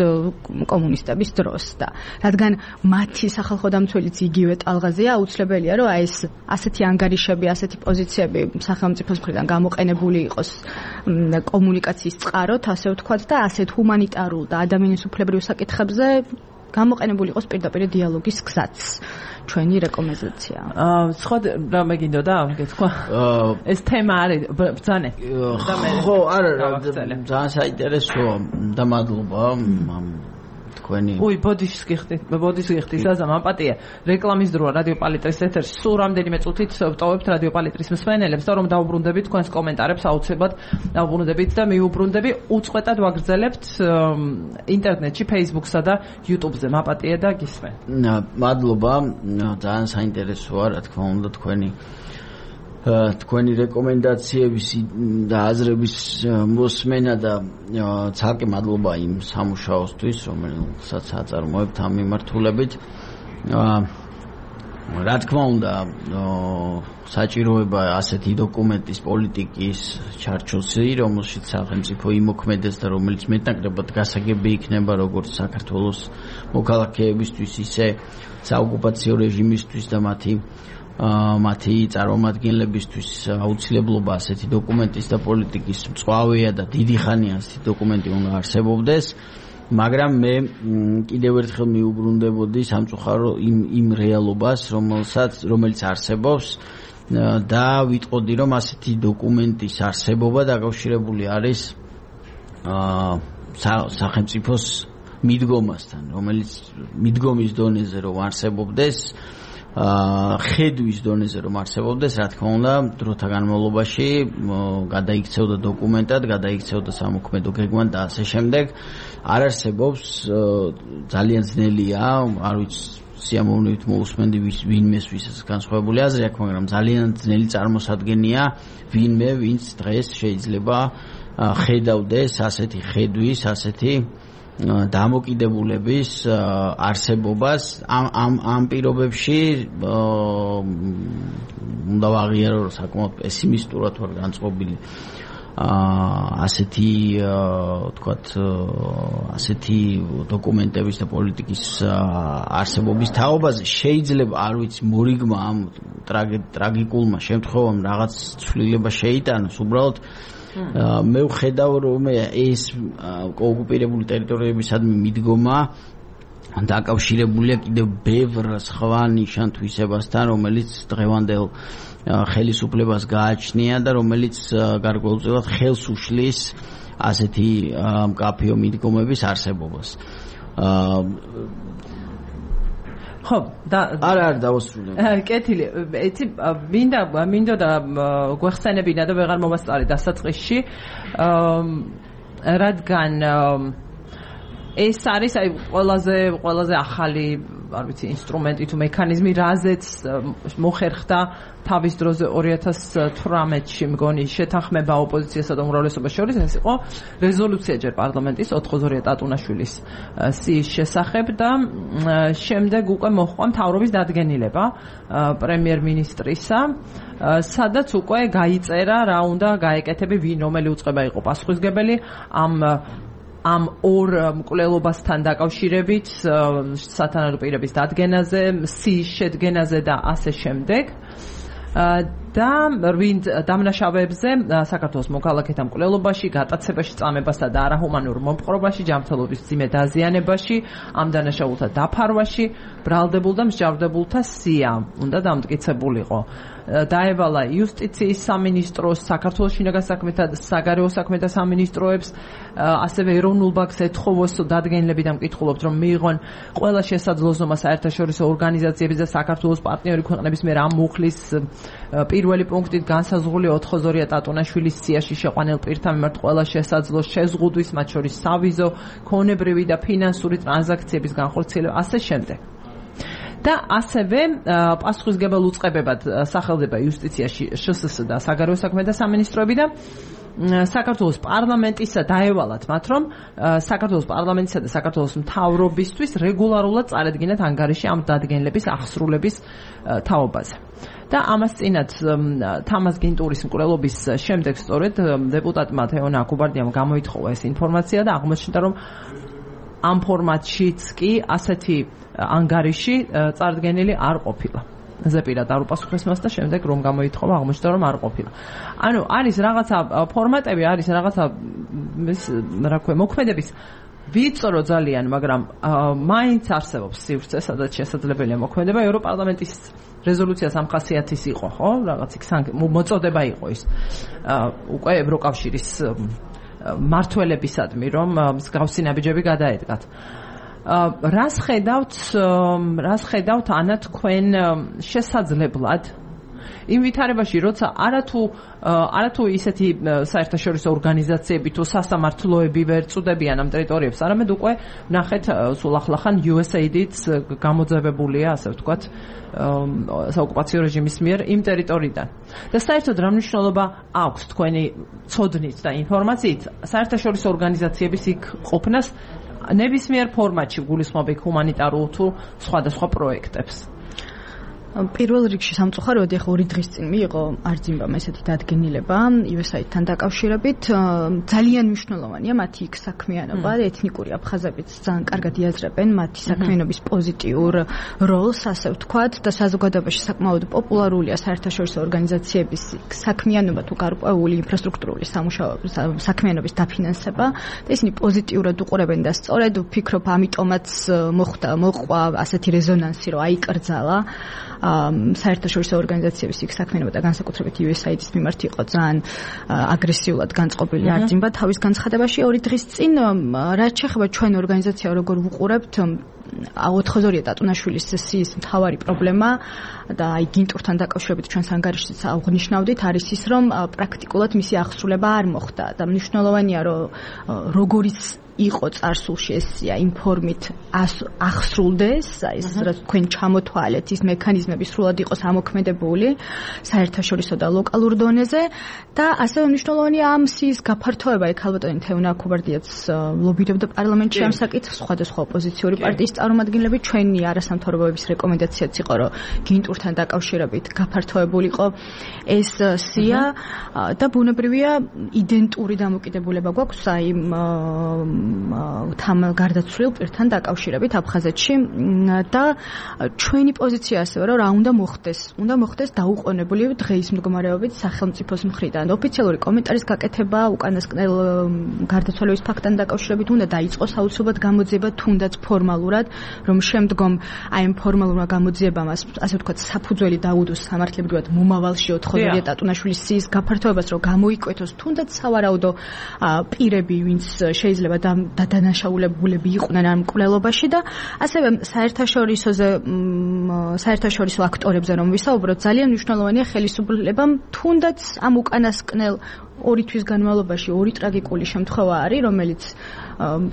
კომუნისტების დროს და რადგან მათი სახალხო დამცველიც იგივე ტალღაზეა, აუცილებელია, რომ აი ეს ასეთი ანგარიშები, ასეთი პოზიციები სახელმწიფოს მხრიდან გამოყენებული იყოს კომუნიკაციის წყაროთ, ასე ვთქვათ და ასეთ ჰუმანიტარულ და ადამიანის უფლებრივ საკითხებზე გამოყენებული იყოს პირდაპირ დიალოგის გზაც. ჩვენი რეკომენდაცია. სხვა რამე გინდოდა გეთქვა? ეს თემა არის ბრძანე. ხო, არა, ძალიან საინტერესოა და მადლობა თქვენი. ბოდიშს გიხდით, საზამ აპატია. რეკლამის დროა რადიო პალიტრის ეთერში. სულ რამდენიმე წუთით ვტოვებთ რადიო პალიტრის მსმენელებს და რომ დაუბრუნდებით თქვენს კომენტარებს, აუცილებლად დაუბრუნდებით და მიუბრუნდები უწყვეტად ვაგრძელებთ ინტერნეტში, Facebook-სა და YouTube-ზე. მაპატია და გისმენ. მადლობა, ძალიან საინტერესოა, რა თქმა უნდა, თქვენი რეკომენდაციების და აზრების მოსმენა და ცალკე მადლობა იმ სამუშაოსთვის, რომელსაც აწარმოებთ ამ მიმართულებით. რა თქმა უნდა, საჭიროება ასეთი დოკუმენტის პოლიტიკის ჩარჩოსი, რომელშიც სახელმწიფო იმოქმედეს და რომელიც მეტნაკლებად გასაგები იქნება როგორც საქართველოს მოქალაქეებისთვის, ისე საოკუპაციო რეჟიმისთვის და მათი წარმომადგენლებისთვის აუცილებლობა ასეთი დოკუმენტის და პოლიტიკის მწვავეა და დიდი ხანია ასეთი დოკუმენტი უნდა არსებობდეს, მაგრამ მე კიდევ ერთხელ მიუბრუნდებოდი სამწუხარო იმ რეალობას, რომელიც არსებობს და ვიტყოდი, რომ ასეთი დოკუმენტის არსებობა დაკავშირებული არის სახელმწიფოს მიდგომასთან, რომელიც მიდგომის დონეზე რომ არსებობდეს, ხედვის დონეზე რომ არსებობდეს, რა თქმა უნდა, დროთა განმავლობაში გადაიქცევდა დოკუმენტად, გადაიქცევდა სამოქმედო გეგმად და ასე შემდეგ. არ არსებობს, ძალიან ძნელია, არ ვიცი, სიამოვნებით მოусმენდი ვინმეს ვისაც განსხვავებული აზრი აქვს, მაგრამ ძალიან ძნელი წარმოსადგენია ვინმე, ვინც დღეს შეიძლება ხედავდეს ასეთი ხედვის, ასეთი დამოკიდებულების არსებობას ამ პირობებში უნდა ვაღიარო, რომ საკმაოდ პესიმისტურად ვარ განწყობილი ასეთი დოკუმენტების და პოლიტიკის არსებობის თაობაზე. შეიძლება, არ ვიცი, მორიგმა ამ ტრაგიკულმა შემთხვევამ რაღაც ცვლილება შეიტანოს, უბრალოდ მე ვხედავ, რომ ეს ოკუპირებული ტერიტორიებისადმი მიდგომა დაკავშირებულია კიდევ ბევრ სხვა ნიშან-თვისებასთან, რომელიც დღევანდელ ხელისუფლებას გააჩნია და რომელიც გარკვეულწილად ხელს უშლის ასეთი მკაფიო მიდგომების არსებობას. ხო, არ დავასრულე. კეთილი, იცი, მინდოდა გვეხსენებინა და ვეღარ მოვასწარე დასაწყისში, რადგან ეს არის აი ყველაზე ახალი, არ ვიცი, ინსტრუმენტი თუ მექანიზმი, რაზეც მოხერხდა თავის დროზე 2018-ში მგონი შეთანხმება ოპოზიციასა და უმრავლესობას შორის, ეს იყო რეზოლუცია ჯერ პარლამენტის 422 ტატუნაშვილის სიის შესახებ და შემდეგ უკვე მოჰყვა მთავრობის დადგენილება პრემიერ-მინისტრისა, სადაც უკვე გაიწერა რა უნდა გაეკეთები, რომელი უწყება იყო პასუხისმგებელი ამ ორ მკვლელობასთან დაკავშირებით, სათანადო პირების დადგენაზე, სიის შედგენაზე და ასე შემდეგ. და ვინ დამნაშავეებზე საქართველოს მოქალაქეთა მკვლელობაში, გატაცებაში, წამებასა და არაჰუმანურ მომპყრობაში, ჯანმრთელობის მძიმე დაზიანებაში, ამ დანაშაულთა დაფარვაში, ბრალდებულ და მსჯავრდებულთა სია უნდა დამტკიცებულიყო. დაევალა იუსტიციის სამინისტროს, საქართველოს შინაგან საქმეთა და საგარეო საქმეთა სამინისტროებს, ასევე ეროვნულ ბანკს ეთხოვოს დადგენილები და მკითხულობთ, რომ მიიღონ ყველა შესაძლო ზომა საერთაშორისო ორგანიზაციების და საქართველოს პარტნიორი ქვეყნების მიერ ამ მუხლის პირველი პუნქტით განსაზღვრული 402 ტატუნაშვილის სიაში შეყვანილ პირთა მიმართ ყველა შესაძლო შეზღუდვის, მათ შორის სავიზო, ქონებრივი და ფინანსური ტრანზაქციების განხორციელება, ასე შემდეგ. და ასევე პასუხისმგებელ უწყებებად სახელდება იუსტიციაში შსს და საგარეო საქმეთა სამინისტროები და საქართველოს პარლამენტისა დაევალათ მათ, რომ საქართველოს პარლამენტისა და საქართველოს მთავრობისთვის რეგულარულად წარედგინათ ანგარიში ამ დადგენილების აღსრულების თაობაზე. და ამას წინათ თამაზ გინტურის მკვლელობის შემდეგ სწორედ დეპუტატმა თეონა აკუბარდიამ გამოითხოვა ეს ინფორმაცია და აღმოჩნდა, რომ ამ ფორმატშიც კი ასეთი ანგარიში წარდგენილი არ ყოფილა. ზეპირად არ უპასუხეს მას და შემდეგ რომ გამოითხოვა, აღმოჩნდა, რომ არ ყოფილა. ანუ არის რაღაცა ფორმატები, არის რაღაცა რა ქვია, მოქმედების ვიწრო ძალიან, მაგრამ მაინც არსებობს სივრცე, სადაც შესაძლებელია მოქმედება. ევროპარლამენტის რეზოლუცია 300-ის იყო, ხო? რაღაც იქ მოწოდება იყო ის. უკვე ევროკავშირის მართველებისადმი, რომ მსგავსი ნაბიჯები გადაედგათ. რას ხედავთ ანა თქვენ შესაძლებლად იმ ვითარებაში, როცა არათუ ისეთი საერთაშორისო ორგანიზაციები თუ სასამართლოები ვერ წუდებიან ამ ტერიტორიებს, არამედ უკვე ნახეთ სულ ახლახან USAID-იც გამოძევებულია, ასე ვთქვათ, საოკუპაციო რეჟიმის მიერ იმ ტერიტორიიდან. და საერთოდ რა მნიშვნელობა აქვს თქვენი ცოდნით და ინფორმაციით საერთაშორისო ორგანიზაციების იქ ყოფნას ნებისმიერ ფორმატში, გულისხმობ ჰუმანიტარულ თუ სხვადასხვა პროექტებს? პირველ რიგში სამწუხაროდ ახლა 2 დღის წინ მიიღო არძიმბამ ესეთი დადგენილება USAID-თან დაკავშირებით. ძალიან მნიშვნელოვანია მათი იქ საქმიანობა, ეთნიკური აფხაზებიც ძალიან კარგად იაზრებენ მათი საქმიანობის პოზიტიურ როლს, ასე ვთქვათ, და საზოგადოებაში საკმაოდ პოპულარულია საერთაშორისო ორგანიზაციების საქმიანობა თუ გარკვეული ინფრასტრუქტურული საქმიანობის დაფინანსება და ისინი პოზიტიურად უყურებენ და სწორედ ვფიქრობ, ამიტომაც მოხდა ასეთი რეზონანსი, რომ აიკრძალა საერთაშორისო ორგანიზაციების იქ საქმიანობა და განსაკუთრებით USAID-ის მიმართ იყო ძალიან აგრესიულად განწყობილი არძიმბა თავის განცხადებაში 2 დღის წინ. რაც შეეხება ჩვენ ორგანიზაცია როგორ ვუყურებთ 402 ტატუნაშვილის სიის მთავარი პრობლემა და აი გინტურთან დაკავშირებით ჩვენს ანგარიშშიც აღნიშნავდით, არის ის, რომ პრაქტიკულად მისი აღსრულება არ მოხდა და მნიშვნელოვანია, რომ როგორიც იყო წარსულში ეს იმ ფორმით აღსრულდეს, ეს რაც თქვენ ჩამოთვალეთ, ის მექანიზმები სრულად იყოს ამოქმედებული საერთაშორისო და ლოკალურ დონეზე და ასევე მნიშვნელოვანია ამ სიის გაფართოება. ეგ ალბათ თეონა აკუბარდიაც ლობირებდა პარლამენტში ამ საკითხს, სხვადასხვა ოპოზიციური პარტიის წარმომადგენლები. ჩვენი არასამთავრობოების რეკომენდაციაც იყო, რომ გინტურთან დაკავშირებით გაფართოებულიყო ეს სია და ბუნებრივია იდენტური დამოკიდებულება გვაქვს აი გარდაცვლილ პირთან დაკავშირებით აფხაზეთში და ჩვენი პოზიცია ასევე რომ რა უნდა მოხდეს. უნდა მოხდეს დაუყოვნებული დღეის მდგომარეობით სახელმწიფოს მხრიდან. ოფიციალური კომენტარის გაკეთება უკანასკნელ გარდაცვალების ფაქტთან დაკავშირებით უნდა დაიწყოს აუცილებლად გამოძიება, თუნდაც ფორმალურად, რომ შემდგომ აი ამ ფორმალურმა გამოძიებამ, ასე ვთქვათ, საფუძველი დაუდოს სამართლებრივად მომავალში 402 ტატუნაშვილის სიის გაფართოებას, რომ გამოიკვეთოს თუნდაც სავარაუდო პირები, ვინც შეიძლება დადანაშაულებულები იყვნენ ამ მკვლელობაში და ასევე საერთაშორისო აქტორებზე რომ ვისაუბროთ, ძალიან მნიშვნელოვანია ხელისუფლებამ თუნდაც ამ უკანასკნელ 2 თვის განმავლობაში 2 ტრაგიკული შემთხვევა არის, რომელიც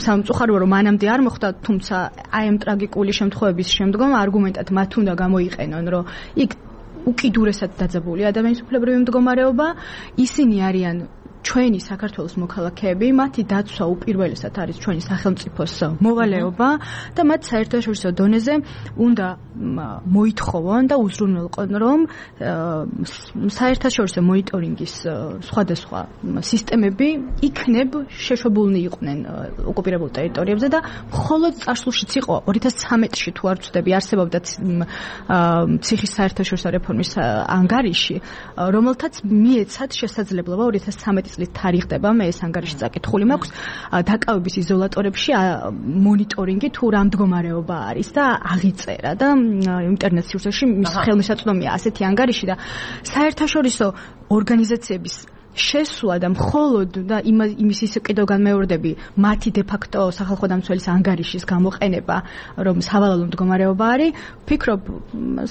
სამწუხაროა რომ მანამდე არ მოხდა, თუმცა აი ამ ტრაგიკული შემთხვევების შემდგომ არგუმენტად მათ უნდა გამოიყენონ, რომ იქ უკიდურესად დაძაბული ადამიანის უფლებრივი მდგომარეობა, ისინი არიან ჩვენი საქართველოს მოქალაქეები, მათი დაცვა უპირველესად არის ჩვენი სახელმწიფოს მოვალეობა და მათ საერთაშორისო დონეზე უნდა მოითხოვონ და უზრუნველყონ, რომ საერთაშორისო მონიტორინგის სხვადასხვა სისტემები იქნებ შეშვებულნი იყვნენ ოკუპირებულ ტერიტორიებზე და მხოლოდ წარსულშიც იყო 2013-ში თუ არ ვცდები არსებობდა ციხის საერთაშორისო რეფორმის ანგარიში, რომელთაც მიეცათ შესაძლებლობა 2013 წლით თარიღდება, მე ეს ანგარიში წაკითხული მაქვს, დაკავების იზოლატორებში მონიტორინგი თუ რა მდგომარეობა არის და აღიწერა და ინტერნეტ სივრცეში მის ხელმისაწვდომია ასეთი ანგარიში და საერთაშორისო ორგანიზაციების შესვლა და მხოლოდ და იმის ისე კიდევ განმეორდები მათი დე-ფაქტო სახალხო დამცველის ანგარიშის გამოყენება, რომ სავალალო მდგომარეობა არის, ვფიქრობ,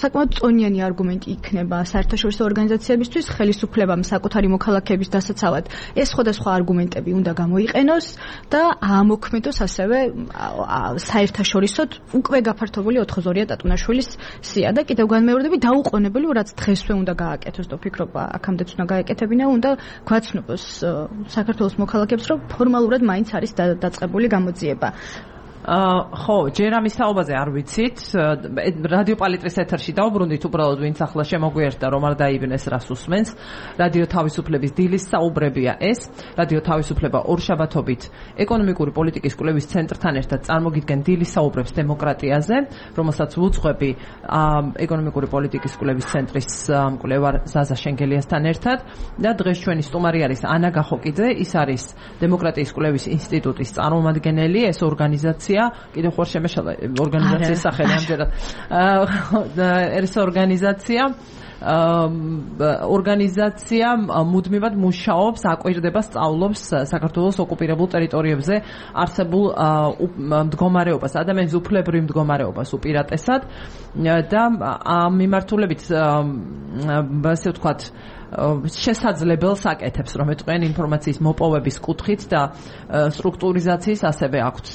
საკმაოდ წონიანი არგუმენტი იქნება საერთაშორისო ორგანიზაციებისთვის, ხელისუფლებამ საკუთარი მოქალაქეების დასაცავად ეს სხვადასხვა არგუმენტები უნდა გამოიყენოს და აამოქმედოს ასევე საერთაშორისოდ უკვე გაფართოვებული 422 ტატუნაშვილის სია და კიდევ განმეორდები დაუყოვნებელი, რაც დღესვე უნდა გააკეთოს და ვფიქრობ, აქამდეც უნდა გააკეთებინა, უნდა გვაცნობს საქართველოს მოქალაქეებს, რომ ფორმალურად მაინც არის დაწყებული გამოძიება. ხო, ჯერ ამის თაობაზე არ ვიცით. რადიო პალიტრის ეთერში დავბრუნდით, უბრალოდ ვინც ახლა შემოგვიერთდა, რომ არ დაიბნეს რას უსმენს. რადიო თავისუფლების დილის საუბრებია ეს. რადიო თავისუფლება ორშაბათობით ეკონომიკური პოლიტიკის კვლევის ცენტრთან ერთად წარმოგიდგენ დილის საუბრებს დემოკრატიაზე, რომელსაც ვუძღვები ეკონომიკური პოლიტიკის კვლევის ცენტრის მკვლევარ ზაზა შენგელიასთან ერთად და დღეს ჩვენი სტუმარი არის ანა გახოკიძე, ის არის დემოკრატიის კვლევის ინსტიტუტის წარმომადგენელი, ეს ორგანიზაცია კიდევ ხوار შემეშალა ორგანიზაციის სახელი ამჯერად ეს ორგანიზაცია მუდმივად მუშაობს, აკვირდება, სწავლობს საქართველოს ოკუპირებულ ტერიტორიებზე არსებულ მდგომარეობას, ადამიანის უფლებრივ მდგომარეობას უპირატესად და ამ მიმართულებით ასე ვთქვათ შესაძლებელს აკეთებს, რომ ეტყვიან ინფორმაციის მოპოვების კუთხით და სტრუქტურიზაციის ასევე აქვთ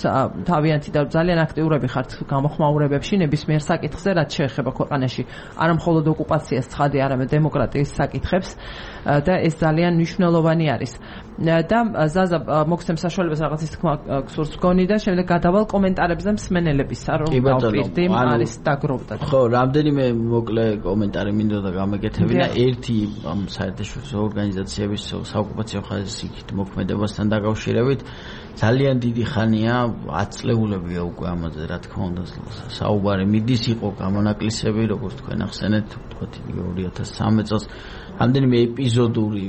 თავიანთი და ძალიან აქტიურები ხართ გამოხმაურებებში ნებისმიერ საკითხზე, რაც შეეხება ქვეყანაში არა მხოლოდ ოკუპაციას, ცხადი, არამედ დემოკრატიის საკითხებს და ეს ძალიან მნიშვნელოვანი არის. და ზაზა მოგცემ საშუალებას რაღაცის თქმა გსურს გონი და შემდეგ გადავალ კომენტარებზე მსმენელებისა, რომ დავპირდი არის დაგროვდა. ხო, რამდენიმე მოკლე კომენტარი მინდოდა გამეკეთებინა. ერთი საერთაშორისო ორგანიზაციების საოკუპაციო ხაზის იქით მოქმედებასთან დაკავშირებით ძალიან დიდი ხანია, 10 წლეულებია უკვე ამაზე, რა თქმა უნდა, საუბარი მიდის, იყო გამონაკლისები, როგორც თქვენ ახსენეთ, ვთქვათ, 2013 წელს რამდენიმე ეპიზოდური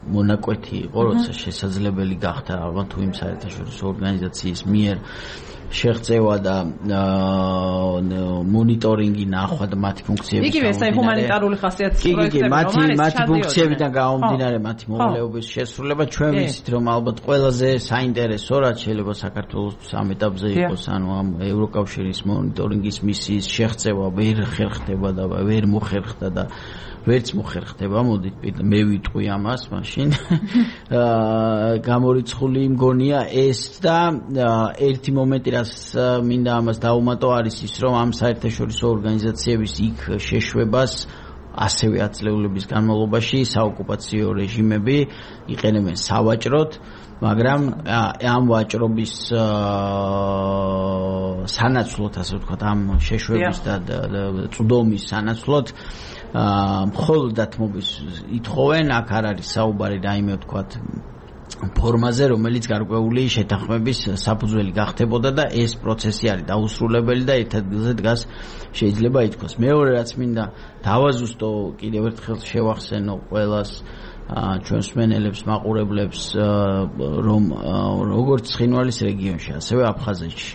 მონაკვეთი იყო, როცა შესაძლებელი გახდა ალბათ თუ იმ საერთაშორისო ორგანიზაციის მიერ შეღწევა და მონიტორინგი ნახვა და მათი ფუნქციების იგივე ეს ჰუმანიტარული ხასიათის პროექტები, მათი ფუნქციებიდან გამომდინარე მათი მოვალეობის შესრულება ჩვენ ვიცით, რომ ალბათ ყველაზე საინტერესო რაც შეიძლება საქართველოს ამ ეტაპზე იყოს, ანუ ამ ევროკავშირის მონიტორინგის მისიის შეღწევა ვერ ხერხდება და ვერ მოხერხდა და ვერც მოხერხდება, მოდით მე ვიტყვი ამას მაშინ. გამორიცხული მგონია ეს და ერთი მომენტი რაც მინდა ამას დაუმატო არის ის, რომ ამ საერთაშორისო ორგანიზაციების იქ შეშვებას ასევე ათწლეულების განმავლობაში საოკუპაციო რეჟიმები იყენებენ სავაჭროდ, მაგრამ ამ ვაჭრობის სანაცვლოდ, ასე ვთქვათ, ამ შეშვების და წვდომის სანაცვლოდ მხოლოდ დათმობის ითხოვენ, აქ არ არის საუბარი რაიმე ვთქვათ ფორმაზე, რომელიც გარკვეული შეთანხმების საფუძველი გახდებოდა და ეს პროცესი არის დაუსრულებელი და ერთ ადგილზე დგას შეიძლება ითქვას. მეორე რაც მინდა დავაზუსტო, კიდევ ერთხელ შევახსენო ყველას ჩვენს მსმენელებს, მაყურებლებს, რომ როგორც ცხინვალის რეგიონში, ასევე აფხაზეთში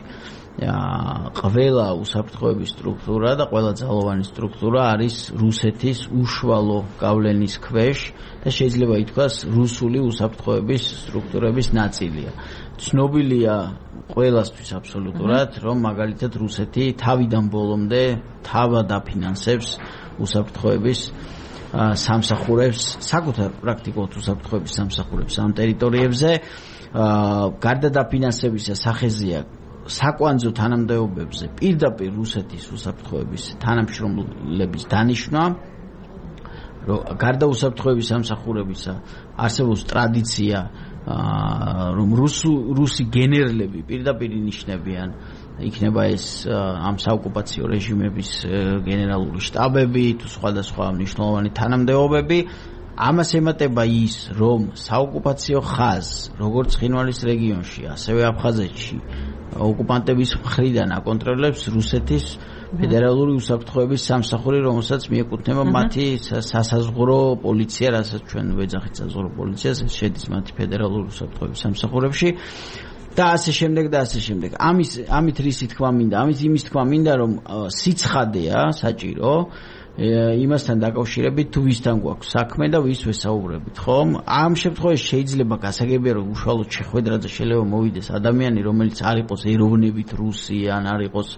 ყველა უსაფრთხოების სტრუქტურა და ყველა ძალოვანი სტრუქტურა არის რუსეთის უშუალო გავლენის ქვეშ და შეიძლება ითქვას რუსული უსაფრთხოების სტრუქტურების ნაწილია. ცნობილია ყველასთვის აბსოლუტურად, რომ მაგალითად რუსეთი თავიდან ბოლომდე თავად აფინანსებს უსაფრთხოების სამსახურებს, საკუთარ პრაქტიკულად უსაფრთხოების სამსახურებს ამ ტერიტორიებზე. გარდა დაფინანსებისა სახეზეა საკვანძო თანამდებობებზე პირდაპირ რუსეთის უსაფრთხოების თანამშრომლების დანიშვნა რომ გარდა უსაფრთხოების სამსახურებისა არსებობს ტრადიცია რომ რუსი გენერლები პირდაპირ ინიშნებიან იქნება ეს ამ საოკუპაციო რეჟიმების გენერალური შტაბები თუ სხვადასხვა მნიშვნელოვანი თანამდებობები ამას ემატება ის რომ საოკუპაციო ხაზს როგორც ცხინვალის რეგიონში ასევე აფხაზეთში ოკუპანტების მხრიდან აკონტროლებს რუსეთის ფედერალური უსაფრთხოების სამსახური, რომელსაც მიეკუთვნება მათი სასაზღვრო პოლიცია, რასაც ჩვენ ვეძახით საზღვრო პოლიციას, ეს შედის მათი ფედერალური უსაფრთხოების სამსახურებში და ასე შემდეგ და ასე შემდეგ. ამით რისი თქვა მინდა? ამით იმის თქვა მინდა, რომ სიცხადეა საჭირო იმასთან დაკავშირებით თუ ვისთან გვაქვს საქმე და ვის ვესაუბრებით, ხო? ამ შემთხვევაში შეიძლება გასაგებია რომ უშუალოდ შეხვედრაზე შეიძლება მოვიდეს ადამიანი, რომელიც არ იყოს ეროვნებით რუსი ან არ იყოს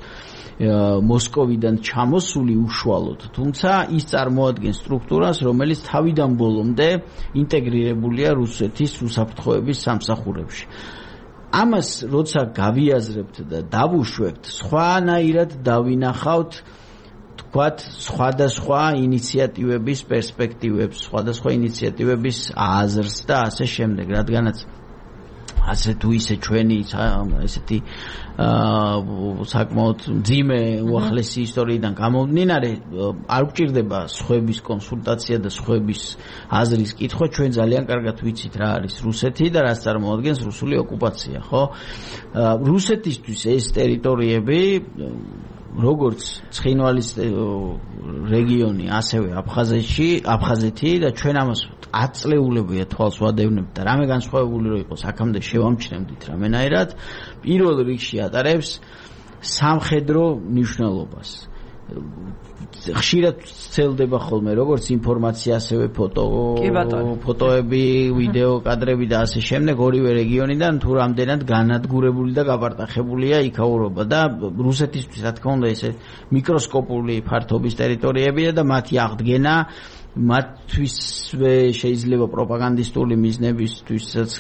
მოსკოვიდან ჩამოსული უშუალოდ, თუმცა ის წარმოადგენს სტრუქტურას, რომელიც თავიდან ბოლომდე ინტეგრირებულია რუსეთის უსაფრთხოების სამსახურებში. ამას როცა გავიაზრებთ და დავუშვებთ, სხვანაირად დავინახავთ თქვათ სხვადასხვა ინიციატივების პერსპექტივებს, სხვადასხვა ინიციატივების აზრს და ასე შემდეგ, რადგანაც ასე თუ ისე ჩვენი ესეთი საკმაოდ მძიმე უახლესი ისტორიიდან გამომდინარე არ გვჭირდება სხვების კონსულტაცია და სხვების აზრის კითხვა, ჩვენ ძალიან კარგად ვიცით რა არის რუსეთი და რას წარმოადგენს რუსული ოკუპაცია, ხო? რუსეთისთვის ეს ტერიტორიები როგორც ცხინვალის რეგიონი, ასევე აფხაზეთი და ჩვენ ამას 10 წლეულებია თვალს ვადევნებთ და რამე განსხვავებული რო იყოს აქამდე შევამჩნევდით რამენაირად პირველ რიგში ატარებს სამხედრო მნიშვნელობას. ხშირად ცელდება ხოლმე როგორც ინფორმაცია, ასევე ფოტოები, ვიდეო კადრები და ასე შემდეგ ორივე რეგიონიდან თუ რამდენად განადგურებული და გაპარტახებულია იქაურობა და რუსეთისთვის რა თქმა უნდა ესე მიკროსკოპული ფართობის ტერიტორიებია და მათი აღდგენა მათთვისვე შეიძლება პროპაგანდისტული მიზნებისთვისაც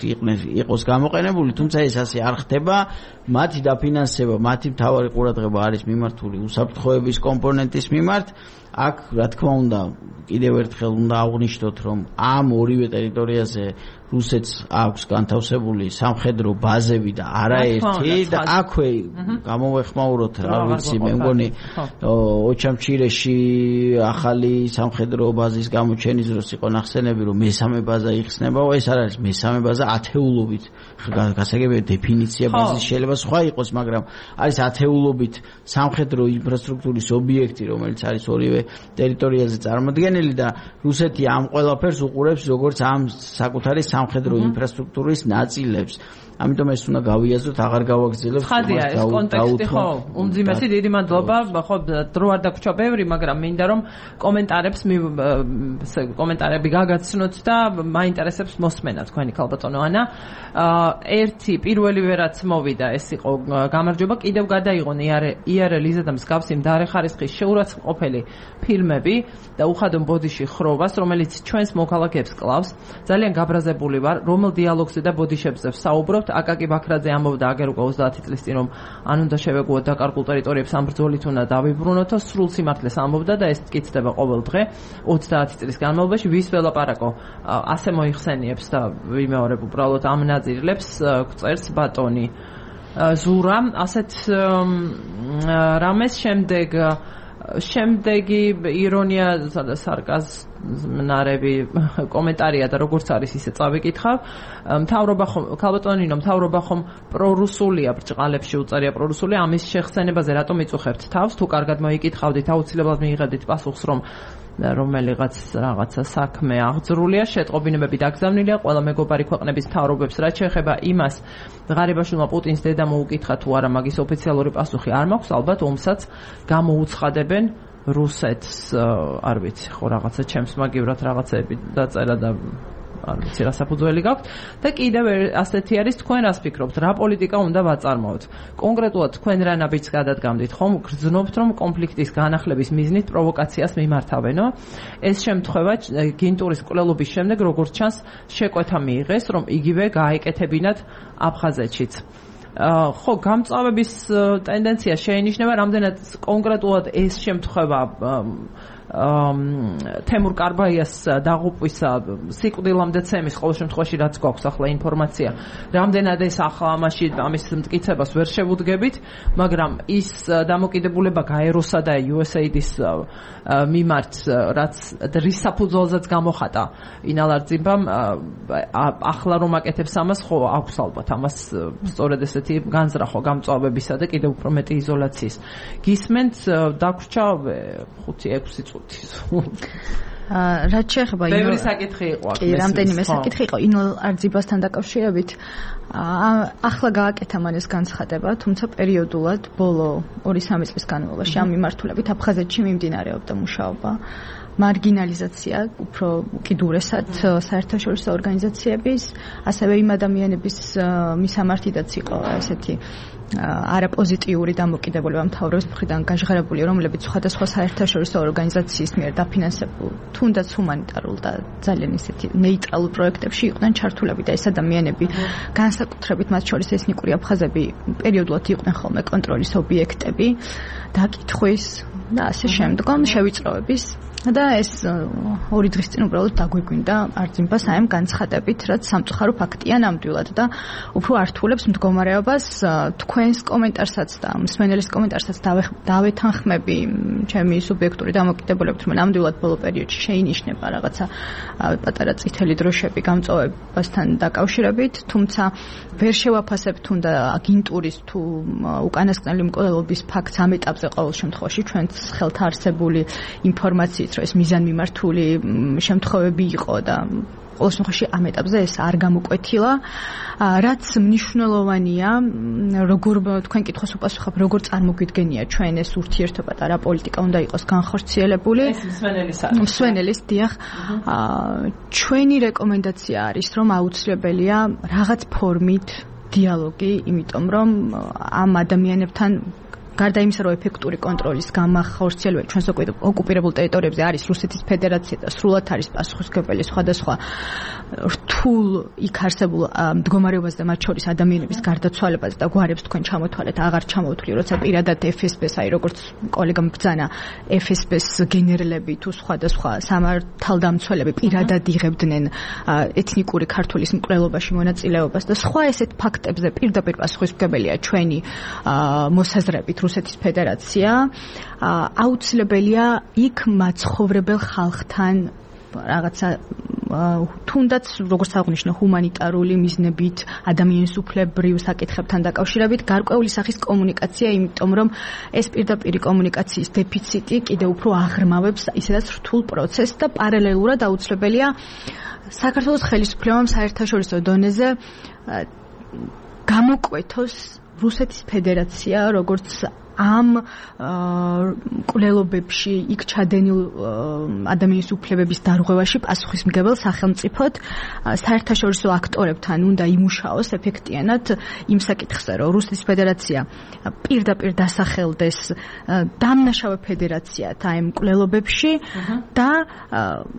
იყოს გამოყენებული, თუმცა ეს ასე არ ხდება. მათი დაფინანსება, მათი მთავარი ყურადღება არის მიმართული უსაფრთხოების კომპონენტის მიმართ. აქ რა თქმა უნდა კიდევ ერთხელ უნდა აღვნიშნოთ, რომ ამ ორივე ტერიტორიაზე რუსეთს აქვს განთავსებული სამხედრო ბაზები და არაერთი და აქვე გამოვეხმაუროთ რა ვიცი მე მგონი ოჩამჩირეში ახალი სამხედრო ბაზის გამოჩენის დროს იყო ნახსენები რომ მესამე ბაზა იხსნებაო, ეს არ არის მესამე ბაზა, ათეულობით გასაგებია დეფინიცია ბაზის შეიძლება სხვა იყოს, მაგრამ არის ათეულობით სამხედრო ინფრასტრუქტურის ობიექტი, რომელიც არის ორივე ტერიტორიაზე წარმოდგენილი და რუსეთი ამ ყველაფერს უყურებს როგორც ამ საკუთარი სამხედრო ინფრასტრუქტურის ნაწილებს. ამიტომ ეს უნდა გავიაზროთ, აღარ გავაგრძელებ. ხადია ეს კონტექსტი, ხო? უმძიმესი დიდი მადლობა. ხო, დრო არ დაგვრჩა ბევრი, მაგრამ მინდა რომ კომენტარები გაგაცნოთ და მაინტერესებს მოსმენა თქვენი ქალბატონო ანა. ერთი პირველივე რაც მოვიდა, ეს იყო გამარჯობა, კიდევ გადაიღონ IRL-იზა და მსგავსი მდარე ხარისხის შეურაცხმყოფელი ფილმები და უხადო ბოდიში ხროვას, რომელიც ჩვენს მოქალაქეებს კლავს. ძალიან გაბრაზებული ვარ, რომელ დიალოგზე და ბოდიშებზე ვსაუბრობ. აკაკი ბაქრაძე ამბობდა აგერ უკვე 30 წლის წინ რომ ან უნდა შევეგუოთ დაკარგულ ტერიტორიებს ამ ბრძოლით უნდა დავიბრუნოთო, სრულ სიმართლეს ამბობდა და ეს მტკიცდება ყოველ დღე 30 წლის განმავლობაში. ვის ველაპარაკო ასე მოიხსენიებს და ვიმეორებ უბრალოდ ამ ნაწილებს წერს ბატონი ზურა. ასეთ რამეს შემდეგი ირონია და სარკაზმნარები კომენტარია და როგორც არის ისე წავიკითხავ. მთავრობა ხომ პრორუსულია, ბრჭყალებში უწერია პრორუსულია, ამის შეხსენებაზე რატომ იწუხებთ თავს? თუ კარგად მოიკითხავდით, აუცილებლად მიიღებდით პასუხს, რომ რომელიღაც რაღაცა საქმე აღძრულია, შეტყობინებები დაგზავნილია ყველა მეგობარი ქვეყნების მთავრობებს. რაც შეეხება იმას, ღარიბაშვილმა პუტინს დედა მოუკითხა თუ არა, მაგის ოფიციალური პასუხი არ მაქვს, ალბათ ომსაც გამოუცხადებენ რუსეთს. არ ვიცი, ხო რაღაცა ჩემს მაგივრად რაღაცები დაწერა და არ ვიცი რა საფუძველი გაქვთ და კიდევ ასეთი არის, თქვენ რას ფიქრობთ, რა პოლიტიკა უნდა ვაწარმოოთ? კონკრეტულად თქვენ რა ნაბიჯს გადადგამდით, ხომ გრძნობთ რომ კონფლიქტის განახლების მიზნით პროვოკაციას მიმართავენო? ეს შემთხვევა გინტურის კვლელობის შემდეგ როგორც ჩანს შეკვეთა მიიღეს, რომ იგივე გააეკეთებინათ აფხაზეთშიც. ხო, გამწვავების ტენდენცია შეინიშნება, რამდენად კონკრეტულად ეს შემთხვევა თემურ კარბაიას დაღუპვის სიკვდილამდე ცემის ყოველ შემთხვევაში რაც გვაქვს ახლა ინფორმაცია რამდენად ეს ახლა ამის მტკიცებას ვერ შევუდგებით მაგრამ ის დამოკიდებულება გაეროსა და USAID-ის მიმართ რაც რის საფუძველზეც გამოხატა ინალარძიბამ ახლა რომ აკეთებს ამას ხო აქვს ალბათ ამას სწორედ ესეთი განზრახვა გამწვავებისა და კიდევ უფრო მეტი იზოლაციის გისმენთ დაგვრჩა 5-6 წუთი რაც შეეხება ბევრი საკითხი იყო კი რამდენიმე საკითხი იყო ინალარძიბასთან დაკავშირებით ახლა გააკეთა მან ეს განცხადება თუმცა პერიოდულად ბოლო 2-3 წლის განმავლობაში ამ მიმართულებით აფხაზეთში მიმდინარეობდა მუშაობა მარგინალიზაცია უფრო უკიდურესად საერთაშორისო ორგანიზაციების ასევე იმ ადამიანების მისამართიდაც იყო ესეთი არაპოზიტიური დამოკიდებულება მთავრობის მხრიდან გაჟღერებული რომლებიც სხვადასხვა საერთაშორისო ორგანიზაციის მიერ დაფინანსებულ თუნდაც ჰუმანიტარულ და ძალიან ისეთი ნეიტრალურ პროექტებში იყვნენ ჩართულები და ეს ადამიანები განსაკუთრებით მათ შორის ეთნიკური აფხაზები პერიოდულად იყვნენ ხოლმე კონტროლის ობიექტები დაკითხვის და ასე შემდგომ შევიწროების და ეს 2 დღის წინ უბრალოდ დაგვიგვინდა არძიმბას აი ამ განცხადებით, რაც სამწუხარო ფაქტია ნამდვილად და უფრო ართულებს მდგომარეობას თქვენს კომენტარსაც და მსმენელის კომენტარსაც დავეთანხმები ჩემი სუბიექტური დამოკიდებულებით, რომ ნამდვილად ბოლო პერიოდში შეინიშნება რაღაცა პატარა წითელი დროშები გამწვავებასთან დაკავშირებით, თუმცა ვერ შევაფასებ თუნდა აგენტურის თუ უკანასკნელი მკვლელობის ფაქტს ამ ეტაპზე ყოველ შემთხვევაში ჩვენს ხელთ არსებული ინფორმაციით რომ ეს მიზანმიმართული შემთხვევები იყო და ყოველ შემთხვევაში ამ ეტაპზე ეს არ გამოკვეთილა რაც მნიშვნელოვანია როგორ თქვენ კითხვას უპასუხებ როგორ წარმოგვიდგენია ჩვენ ეს ურთიერთობა და რა პოლიტიკა უნდა იყოს განხორციელებული ეს მსვენელის დიახ ჩვენი რეკომენდაცია არის რომ აუცილებელია რაღაც ფორმით დიალოგი იმიტომ რომ ამ ადამიანებთან გარდა იმისა, რომ ეფექტური კონტროლის გამახორციელება ჩვენს ოკუპირებულ ტერიტორიებზე არის რუსეთის ფედერაცია და სრულად არის პასუხისმგებელი სხვადასხვა რთულ იქ არსებულ მდგომარეობაზე და მათ შორის ადამიანების გარდაცვალებაზე და გვარებს თქვენ ჩამოთვალეთ, აღარ ჩამოვთვლი, როცა პირადად FSB-ს, აი როგორც კოლეგამ ბრძანა, FSB-ს გენერლები თუ სხვადასხვა სამართალდამცველები პირადად იღებდნენ ეთნიკური ქართულის მკვლელობაში მონაწილეობას და სხვა ესეთ ფაქტებზე პირდაპირ პასუხისმგებელია ჩვენი მოსაზრებით რუსეთის ფედერაცია აუცილებელია იქ მაცხოვრებელ ხალხთან რაღაცა თუნდაც როგორც აღნიშნე ჰუმანიტარული მიზნებით ადამიანის უფლებრივ საკითხებთან დაკავშირებით გარკვეული სახის კომუნიკაცია იმიტომ რომ ეს პირდაპირი კომუნიკაციის დეფიციტი კიდევ უფრო აღრმავებს ისედაც რთულ პროცესს და პარალელურად აუცილებელია საქართველოს ხელისუფლებამ საერთაშორისო დონეზე გამოკვეთოს რუსეთის ფედერაცია როგორც ამ კვლელობებში იქ ჩადენილ ადამიანის უფლებების დარღვევაში პასუხისმგებელ სახელმწიფოდ საერთაშორისო აქტორებთან უნდა იმუშაოს ეფექტიანად იმ საკითხზე, რომ რუსეთის ფედერაცია პირდაპირ დასახელდეს დამნაშავე ფედერაციად ამ კვლელობებში და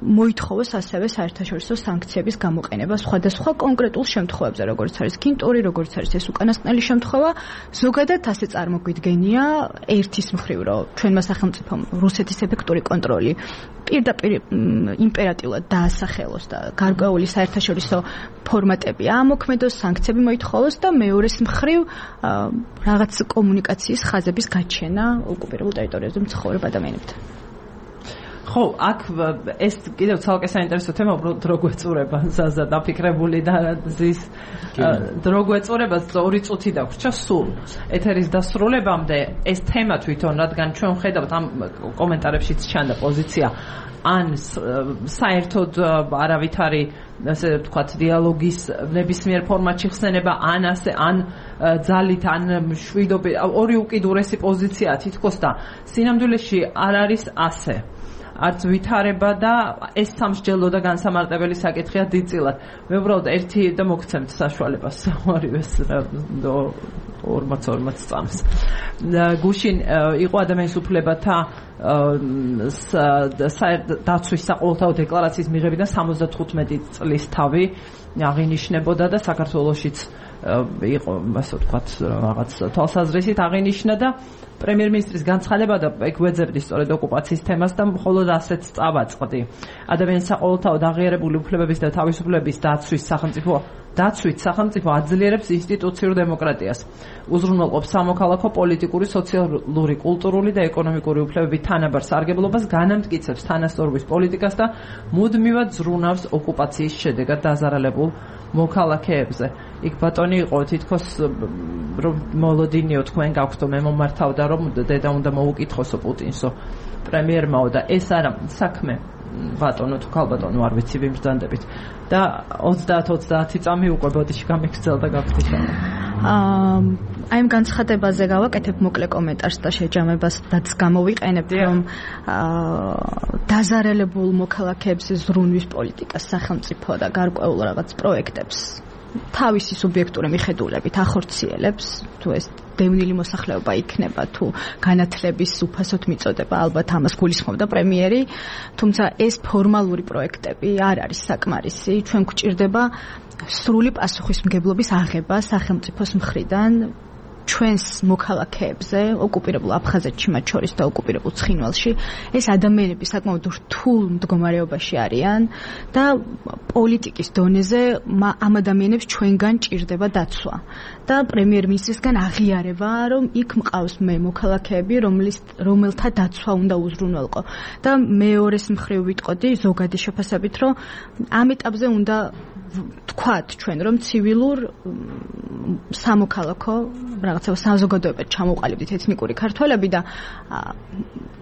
მოითხოვოს ასევე საერთაშორისო სანქციების გამოყენება სხვადასხვა კონკრეტულ შემთხვევებზე, როგორც არის კინტური, როგორც არის ეს უკანასკნელი შემთხვევა, ზოგადად ასე წარმოგვიდგენია ერთის მხრივ რომ ჩვენმა სახელმწიფომ რუსეთის ეფექტური კონტროლი პირდაპირ იმპერატიულად დაასახელოს და გარკვეული საერთაშორისო ფორმატები ამოქმედოს, სანქციები მოითხოვოს და მეორეს მხრივ რაღაც კომუნიკაციის ხაზების გაჩენა ოკუპირებულ ტერიტორიაზე მცხოვრებ ადამიანებთან. ხო, აქ ეს კიდევ ცალკე საინტერესო თემა უბრალოდ დრო გვეწურება ზაზა დაფიქრებული და ზის დრო გვეწურება 2 წუთი დაგვრჩა სულ ეთერის დასრულებამდე ეს თემა თვითონ რადგან ჩვენ ხედავთ ამ კომენტარებშიც ჩანდა პოზიცია ან საერთოდ არავითარი ასე ვთქვათ დიალოგის ნებისმიერ ფორმატში ხსენება ან ასე ან ძალით ან მშვიდობით ორი უკიდურესი პოზიციაა თითქოს და სინამდვილეში არ არის ასე არც ვითარება და ეს სამსჯელო და განსამარტებელი საკითხია დიდწილად. მე უბრალოდ ერთი და მოგცემთ საშუალებას ორივეს 40 წამს. გუშინ იყო ადამიანის უფლებათა დაცვის საყოველთაო დეკლარაციის მიღებიდან 75 წლის თავი აღინიშნებოდა და საქართველოშიც იყო ასე ვთქვათ რაღაც თვალსაზრისით აღინიშნა და პრემიერ-მინისტრის განცხადება და ეგვეძებდი სწორედ ოკუპაციის თემას და მხოლოდ ასეც წავაწყდი. ადამიანის საყოველთაოდ აღიარებული უფლებების და თავისუფლების დაცვით სახელმწიფო აძლიერებს ინსტიტუციურ დემოკრატიას. უზრუნველყოფს სამოქალაქო, პოლიტიკური, სოციალური, კულტურული და ეკონომიკური უფლებების თანაბარ სარგებლობას, განამტკიცებს თანასწორობის პოლიტიკას და მუდმივად ზრუნავს ოკუპაციის შედეგად დაზარალებულ მოქალაქეებზე. იქ ბატონი იყო თითქოს რომ მოლოდინიო თქვენ გაქვთ მე მომართავდა რომ დედა უნდა მოუკითხოსო პუტინსო პრემიერმაო და ეს არა საქმე ბატონო თუ ქალბატონო არ ვიცი ვიმბრძანდებით და 30 წამი უკვე ბოდიში გამიგრძელდა გაგვთიშა. აი ამ განცხადებაზე გავაკეთებ მოკლე კომენტარს და შეჯამებასაც გამოვიყენებ რომ დაზარალებულ მოქალაქეებს ზრუნვის პოლიტიკას სახელმწიფო და გარკვეულ რაღაც პროექტებს თავისი სუბიექტური მიხედულებით ახორციელებს თუ ეს დევნილი მოსახლეობა იქნება თუ განათლების უფასოდ მიწოდება ალბათ ამას გულისხმობდა პრემიერი თუმცა ეს ფორმალური პროექტები არ არის საკმარისი ჩვენ გვჭირდება სრული პასუხისმგებლობის აღება სახელმწიფოს მხრიდან ჩვენს მოქალაქეებზე ოკუპირებულ აფხაზეთში მათ შორის და ოკუპირებულ ცხინვალში ეს ადამიანები საკმაოდ რთულ მდგომარეობაში არიან და პოლიტიკის დონეზე ამ ადამიანებს ჩვენგან ჭირდება დაცვა და პრემიერ-მინისტრისგან აღიარება რომ იქ მყავს მე მოქალაქეები რომელთა დაცვა უნდა უზრუნველყო და მეორეს მხრივ ვიტყოდი ზოგადი შეფასებით რომ ამ ეტაპზე უნდა თქვათ ჩვენ რომ ცივილურ სამოქალაქო რაღაცა საზოგადოებად ჩამოყალიბდით ეთნიკური ქართველები და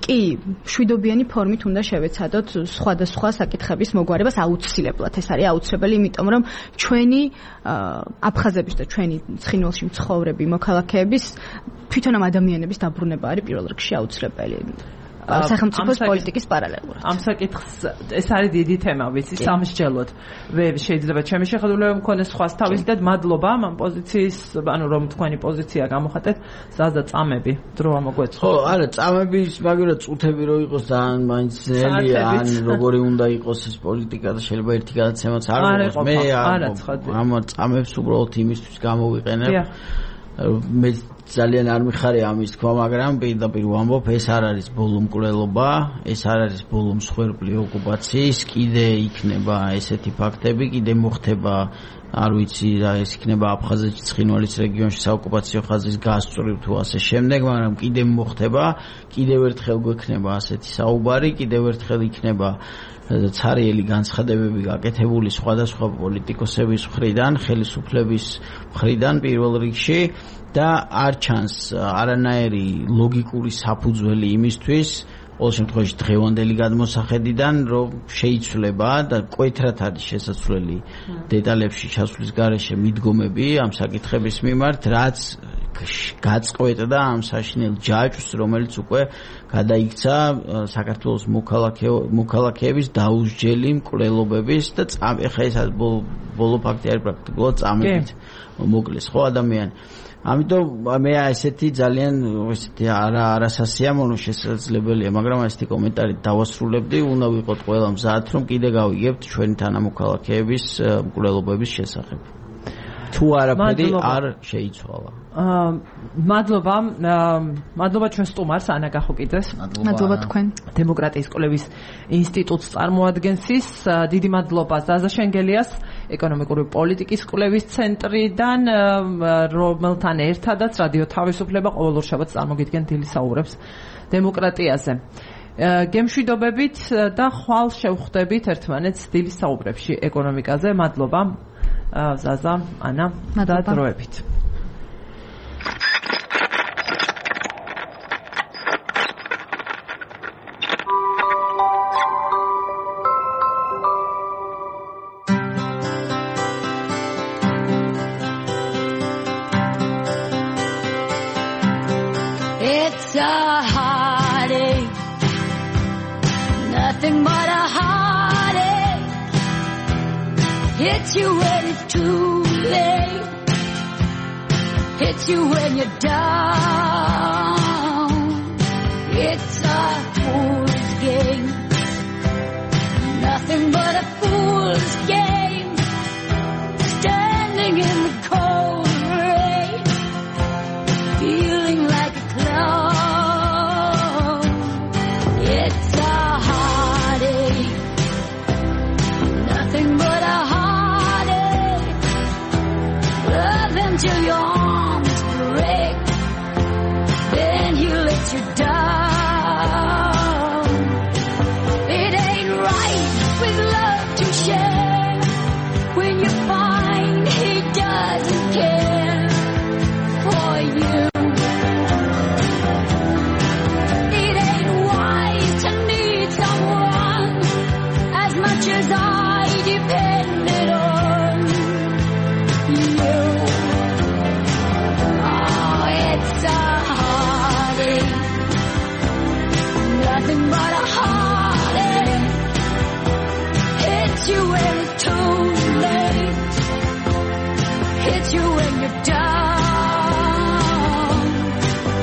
კი მშვიდობიანი ფორმით უნდა შევეცადოთ სხვადასხვა საკითხების მოგვარებას აუცილებლად ეს არის აუცილებელი იმიტომ რომ ჩვენი აფხაზების და ჩვენი ცხინვალში მცხოვრები მოქალაქეების თვითონ ამ ადამიანების დაბრუნება არის პირველ რიგში აუცილებელი სახელმწიფოს პოლიტიკის პარალელურად. ამ საკითხს ეს არის დიდი თემა, ვიცი, სამსჯელოდ. შეიძლება ჩემი შეხედულება მქონდეს სხვას თავისდად მადლობა ამ პოზიციის, ანუ რომ თქვენი პოზიცია გამოხატეთ, ზაზა წამები დრო ამოგვეწყო. ხო, არა, წამების მაგალითად წუთები რო იყოს ძალიან მაინც ძნელია, ან როგორი უნდა იყოს ეს პოლიტიკა და შეიძლება ერთი გადაცემაც არ იყოს. მე ამ წამებს უბრალოდ იმისთვის გამოვიყენებ. მე ძალიან არ მიხარია ამის თქვა, მაგრამ პირდაპირ ვამბობ, ეს არ არის ბოლო მკვლელობა, ეს არ არის ბოლო მსხვერპლი ოკუპაციის, კიდე იქნება ესეთი ფაქტები, კიდე მოხდება, არ ვიცი რა ეს იქნება აფხაზეთში, ცხინვალის რეგიონში საოკუპაციო ხაზის გასწვრივ თუ ასე შემდეგ, მაგრამ კიდე მოხდება, კიდევ ერთხელ გვექნება ასეთი საუბარი, კიდევ ერთხელ იქნება ცარიელი განცხადებები გაკეთებული სხვადასხვა პოლიტიკოსების მხრიდან, ხელისუფლების მხრიდან პირველ რიგში და არ ჩანს არანაირი ლოგიკური საფუძველი იმისთვის, ყოველ შემთხვევაში დღევანდელი გადმოსახედიდან, რომ შეიცვლება და კვეთრად არის შესაძლებელი დეტალებში ჩასვლის გარეშე მიდგომები ამ საკითხების მიმართ, რაც გაწყვეტდა ამ საშინელ ჯაჭვს, რომელიც უკვე გადაიქცა საქართველოს მოქალაქეების დაუსჯელი მკვლელობების და ეხა ეს ბოლო ფაქტი არის პრაქტიკულად წამებით მოკლეს ხო ადამიანი. ამიტომ მე ესეთი ძალიან ესეთი არასასიამოვნო შესაძლებელია, მაგრამ ესეთი კომენტარი დავასრულებდი, უნდა ვიყოთ ყველა მზად, რომ კიდე გავიგებთ ჩვენი თანამოქალაქეების მკვლელობების შესახებ. თუ არაფერი არ შეიცვალა. მადლობა ჩვენ სტუმარს ანა გახოკიძეს. მადლობა თქვენ. დემოკრატიის კვლევის ინსტიტუტს წარმოადგენს ის. დიდი მადლობა ზაზა შენგელიას, ეკონომიკური პოლიტიკის კვლევის ცენტრიდან, რომელთან ერთადაც რადიო თავისუფლება ყოველ შაბათს წარმოგიდგენ დილის საუბრებს დემოკრატიაზე. გემშვიდობებით და ხვალ შევხვდებით ერთმანეთს დილის საუბრებში ეკონომიკაზე. მადლობა ზაზა, ანა და დროებით. It's a heartache, nothing but a heartache. Hits you when it's too late, hits you when you're down. It's a fool's game, nothing but a fool's game. Standing in the cold until your arms break. Then he lets you down. It ain't right with love to share when you find he doesn't care for you. It ain't wise to need someone as much as I depended on you. Oh, it's a heartache, nothing but a heartache. Hits you when it's too late, hits you when you're down.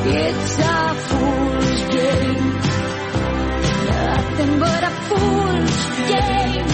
It's a fool's game, nothing but a fool's game.